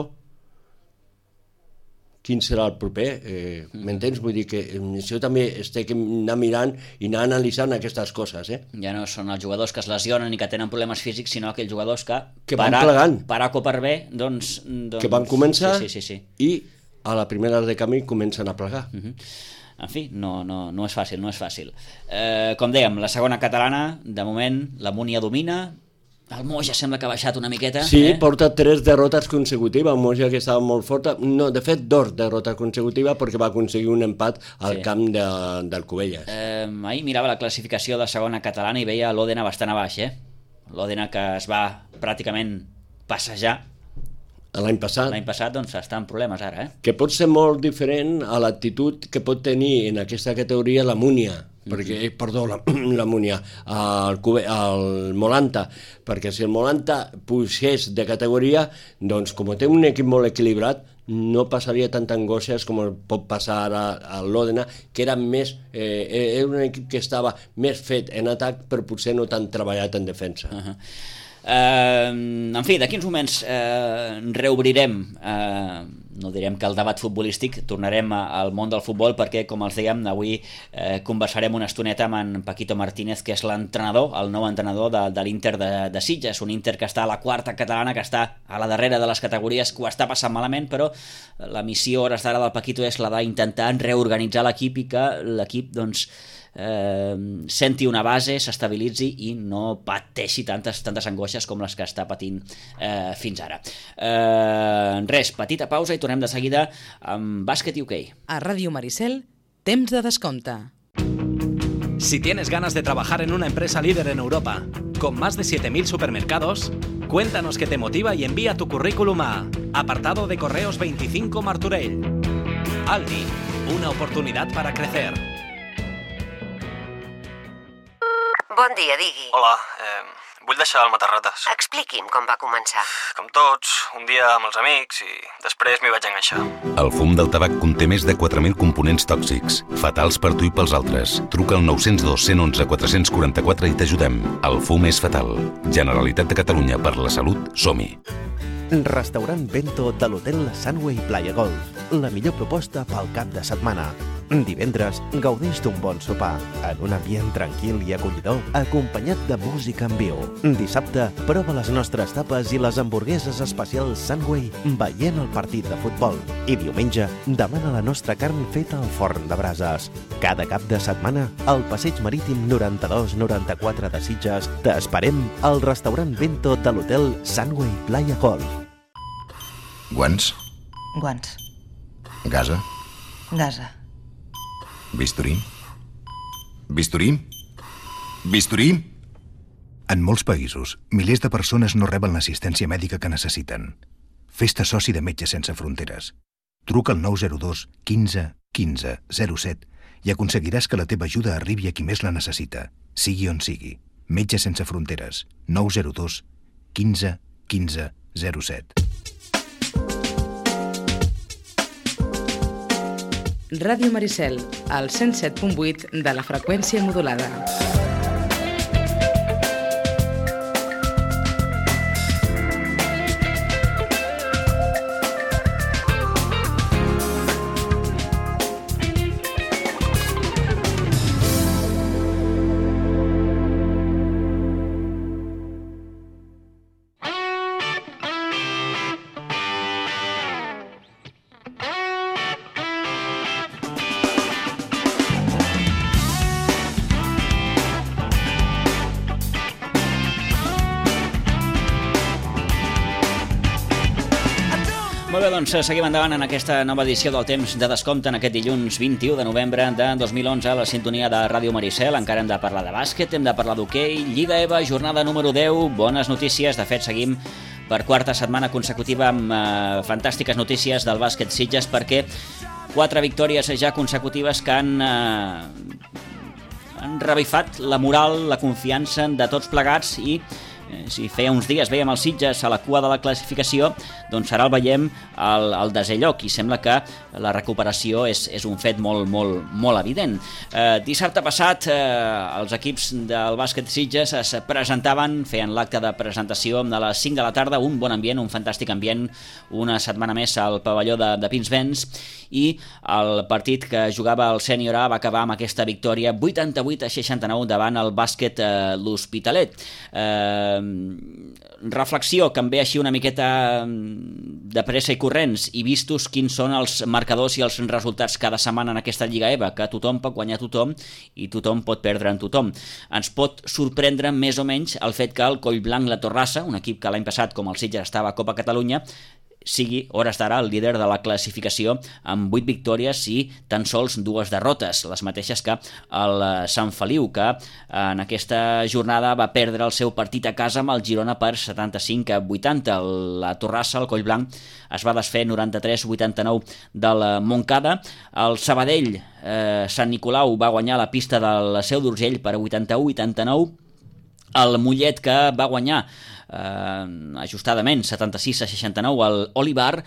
Quin serà el proper? Eh, M'entens? Vull dir que això també es té que anar mirant i anar analitzant aquestes coses. Eh? Ja no són els jugadors que es lesionen i que tenen problemes físics, sinó aquells jugadors que, que van per plegant. Per A o per B, doncs, doncs... Que van començar sí, sí, sí, sí. i a la primera de camí comencen a plegar. Uh-huh. En fi, no, no, no és fàcil, no és fàcil. Eh, com dèiem, la segona catalana, de moment, la Múnia domina, el Moja sembla que ha baixat una miqueta. Sí, eh? porta tres derrotes consecutives, el Moja que estava molt forta, no, de fet, dos derrotes consecutives perquè va aconseguir un empat al sí. camp de, del Covelles. Eh, ahir mirava la classificació de segona catalana i veia l'Òdena bastant a baix, eh? L'Òdena que es va pràcticament passejar l'any passat. L'any passat, doncs, està en problemes ara, eh? Que pot ser molt diferent a l'actitud que pot tenir en aquesta categoria la Múnia, mm-hmm. perquè, eh, perdó, la, la Múnia, el, el Molanta, perquè si el Molanta pugés de categoria, doncs, com té un equip molt equilibrat, no passaria tanta angoixes com pot passar ara a l'Òdena, que era més, eh, era un equip que estava més fet en atac, però potser no tan treballat en defensa. Uh-huh. Uh, en fi, d'aquí uns moments uh, reobrirem, uh, no direm que el debat futbolístic, tornarem a, al món del futbol perquè, com els dèiem, avui uh, conversarem una estoneta amb en Paquito Martínez, que és l'entrenador, el nou entrenador de, de l'Inter de, de Sitges, un Inter que està a la quarta catalana, que està a la darrera de les categories, que ho està passant malament, però la missió a hores d'ara del Paquito és la d'intentar reorganitzar l'equip i que l'equip, doncs, eh, senti una base, s'estabilitzi i no pateixi tantes, tantes angoixes com les que està patint eh, fins ara. Eh, res, petita pausa i tornem de seguida amb bàsquet U K. A Ràdio Maricel, temps de descompte. Si tienes ganas de trabajar en una empresa líder en Europa, con más de siete mil supermercados, cuéntanos qué te motiva y envía tu currículum a apartado de correos veinticinco Martorell. Aldi, una oportunidad para crecer. Bon dia, digui. Hola, eh, vull deixar el matarrates. Expliqui'm com va començar. Com tots, un dia amb els amics i després m'hi vaig enganxar. El fum del tabac conté més de quatre mil components tòxics, fatals per tu i pels altres. Truca al nou zero dos, un u un, quatre quatre quatre i t'ajudem. El fum és fatal. Generalitat de Catalunya, per la salut, som-hi. Restaurant Bento de l'Hotel Sunway Playa Golf. La millor proposta pel cap de setmana. Divendres, gaudeix d'un bon sopar, en un ambient tranquil i acollidor, acompanyat de música en viu. Dissabte, prova les nostres tapes i les hamburgueses especials Sunway veient el partit de futbol. I diumenge, demana la nostra carn feta al forn de brases. Cada cap de setmana, al Passeig Marítim noranta-dos noranta-quatre de Sitges, t'esperem al restaurant Bento de l'Hotel Sunway Playa Golf. Guants? Guants. Gasa? Gasa. Bisturí? Bisturí? Bisturí? En molts països, milers de persones no reben l'assistència mèdica que necessiten. Fes-te soci de Metges Sense Fronteres. Truca al nou zero dos, quinze, quinze, zero set i aconseguiràs que la teva ajuda arribi a qui més la necessita, sigui on sigui. Metges Sense Fronteres. nou zero dos, quinze, quinze, zero set. Ràdio Maricel, al cent set punt vuit de la freqüència modulada. Molt bé, doncs seguim endavant en aquesta nova edició del Temps de Descompte en aquest dilluns vint-i-u de novembre de dos mil onze a la sintonia de Ràdio Maricel. Encara hem de parlar de bàsquet, hem de parlar d'hoquei, Lliga E V A, jornada número deu, bones notícies. De fet, seguim per quarta setmana consecutiva amb eh, fantàstiques notícies del bàsquet Sitges, perquè quatre victòries ja consecutives que han, eh, han revifat la moral, la confiança de tots plegats i si feia uns dies veiem els Sitges a la cua de la classificació, doncs ara el veiem al, al desè lloc i sembla que la recuperació és, és un fet molt, molt, molt evident. Eh, dissabte passat eh, els equips del bàsquet Sitges es presentaven, feien l'acte de presentació a les cinc de la tarda, un bon ambient, un fantàstic ambient, una setmana més al pavelló de, de Pinsbens, i el partit que jugava el Sènior A va acabar amb aquesta victòria vuitanta-vuit a seixanta-nou davant el bàsquet eh, l'Hospitalet. Eh, reflexió que em ve així una miqueta de pressa i corrents i vistos quins són els marcadors i els resultats cada setmana en aquesta Lliga E V A, que tothom pot guanyar tothom i tothom pot perdre en tothom. Ens pot sorprendre més o menys el fet que el Collblanc La Torrassa, un equip que l'any passat com el Sitges estava a Copa Catalunya, sigui, hores d'ara, el líder de la classificació amb vuit victòries i tan sols dues derrotes, les mateixes que el Sant Feliu, que en aquesta jornada va perdre el seu partit a casa amb el Girona per setanta-cinc a vuitanta. La Torrassa, el Collblanc, es va desfer noranta-tres a vuitanta-nou del Montcada. El Sabadell, eh, Sant Nicolau, va guanyar la pista del Seu d'Urgell per vuitanta-u a vuitanta-nou. El Mollet, que va guanyar Uh, ajustadament setanta-sis a seixanta-nou al Olivar.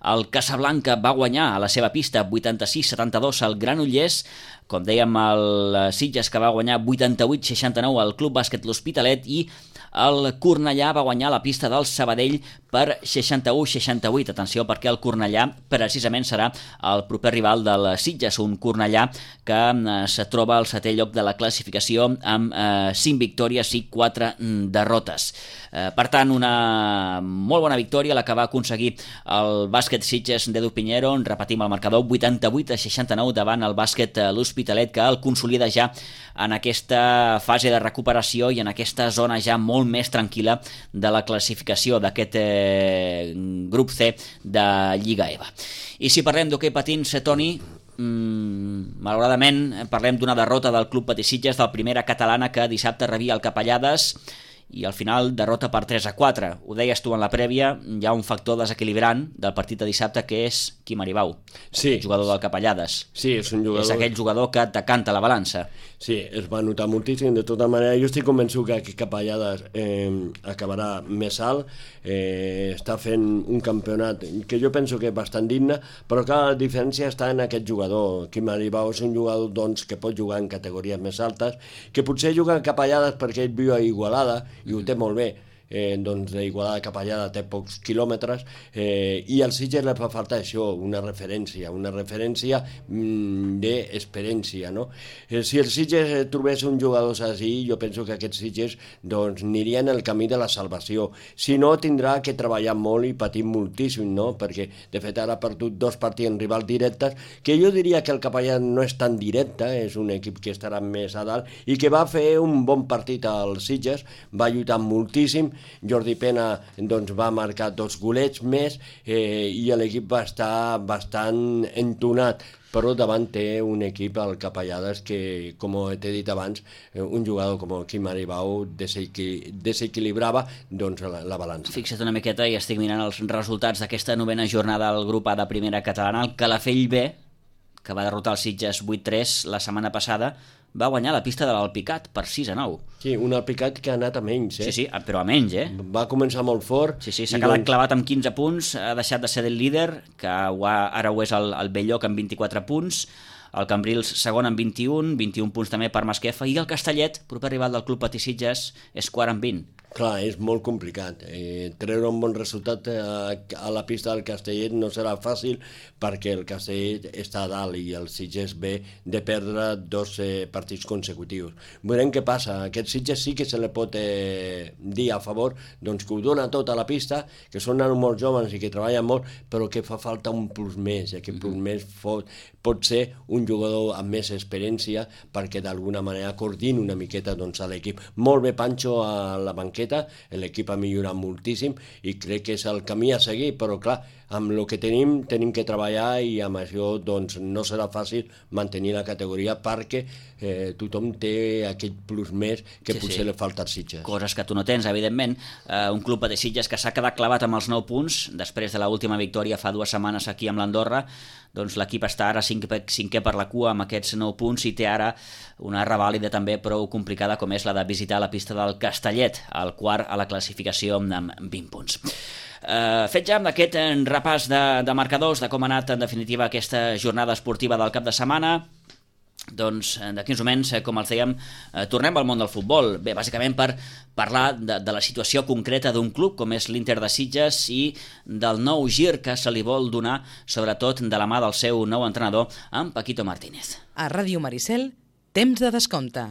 El Casablanca va guanyar a la seva pista vuitanta-sis a setanta-dos al Granollers. Com dèiem, el Sitges, que va guanyar vuitanta-vuit a seixanta-nou al Club Bàsquet L'Hospitalet, i el Cornellà va guanyar la pista del Sabadell per seixanta-u a seixanta-vuit. Atenció, perquè el Cornellà precisament serà el proper rival del Sitges, un Cornellà que es troba al setè lloc de la classificació amb eh, cinc victòries i quatre derrotes. Eh, per tant, una molt bona victòria la que va aconseguir el bàsquet Sitges d'Edu Piñero. Repetim el marcador, vuitanta-vuit a seixanta-nou davant el bàsquet l'Hospitalet, que el consolida ja en aquesta fase de recuperació i en aquesta zona ja molt més tranquil·la de la classificació d'aquest eh, grup C de Lliga EVA. I si parlem d'hoquei patins, Toni, mm, malauradament parlem d'una derrota del Club Patí Sitges, del Primera Catalana, que dissabte rebia el Capellades i al final derrota per tres a quatre. Ho deies tu en la prèvia, hi ha un factor desequilibrant del partit de dissabte, que és Quim Aribau, sí, jugador del Capellades. Sí, és un jugador... És aquell jugador que decanta la balança. Sí, es va notar moltíssim. De tota manera, jo estic convençut que aquest Capellades eh, acabarà més alt, eh, està fent un campionat que jo penso que és bastant digne, però clar, la diferència està en aquest jugador. Quim Aribau és un jugador doncs, que pot jugar en categories més altes, que potser juga en Capellades perquè ell viu a Igualada i ho té molt bé. Eh, doncs d'Igualada a Capellada té pocs quilòmetres eh, i al Sitges li fa falta això, una referència, una referència mm, d'experiència, no? Eh, si el Sitges eh, trobés un jugador així, jo penso que aquests Sitges doncs, anirien el camí de la salvació. Si no, tindrà que treballar molt i patir moltíssim, no? Perquè de fet ara ha perdut dos partits en rivals directes, que jo diria que el Capellà no és tan directe, és un equip que estarà més a dalt i que va fer un bon partit al Sitges, va lluitar moltíssim. Jordi Pena doncs, va marcar dos golets més eh, i l'equip va estar bastant entonat, però davant té un equip al Capellades que, com t'he dit abans, un jugador com Quim Aribau desequil desequilibrava doncs, la, la balança. Fixa't una miqueta i estic mirant els resultats d'aquesta novena jornada al grup A de Primera Catalana. El Calafell B, que va derrotar el Sitges vuit tres la setmana passada, va guanyar la pista de l'Alpicat per sis a nou. Sí, un Alpicat que ha anat a menys, eh? Sí, sí, però a menys, eh? Va començar molt fort. Sí, sí, s'ha quedat doncs... clavat amb quinze punts, ha deixat de ser el líder, que ara ho és el, el Belloc amb vint-i-quatre punts, el Cambrils segon amb vint-i-un, vint-i-un punts també per Masquefa, i el Castellet, proper rival del Club Patí Sitges, és quart amb vint. Clar, és molt complicat. Eh, treure un bon resultat a, a la pista del Castellet no serà fàcil perquè el Castellet està a dalt i el Sitges ve de perdre dos eh, partits consecutius. Veurem què passa. Aquest Sitges sí que se li pot eh, dir a favor doncs, que ho dona tot a la pista, que són nanos molt joves i que treballen molt, però que fa falta un plus més. I aquest plus més pot, pot ser un jugador amb més experiència perquè d'alguna manera coordini una miqueta doncs, a l'equip. Molt bé Pancho a la banqueta, l'equip ha millorat moltíssim i crec que és el camí a seguir, però clar, amb el que tenim, tenim que treballar i amb això doncs, no serà fàcil mantenir la categoria perquè eh, tothom té aquest plus més que sí, potser sí. li falta als Sitges. Coses que tu no tens, evidentment. Uh, un club de Sitges que s'ha quedat clavat amb els nou punts després de l'última victòria fa dues setmanes aquí amb l'Andorra. Doncs l'equip està ara cinquè, cinquè per la cua amb aquests nou punts i té ara una revàlida també prou complicada com és la de visitar la pista del Castellet, el quart a la classificació amb vint punts. Uh, fet ja amb aquest repàs de, de marcadors, de com ha anat en definitiva aquesta jornada esportiva del cap de setmana, doncs d'aquí uns moments, com els dèiem, eh, tornem al món del futbol. Bé, bàsicament per parlar de, de la situació concreta d'un club com és l'Inter de Sitges i del nou gir que se li vol donar, sobretot de la mà del seu nou entrenador, en Paquito Martínez. A Ràdio Maricel, temps de descompte.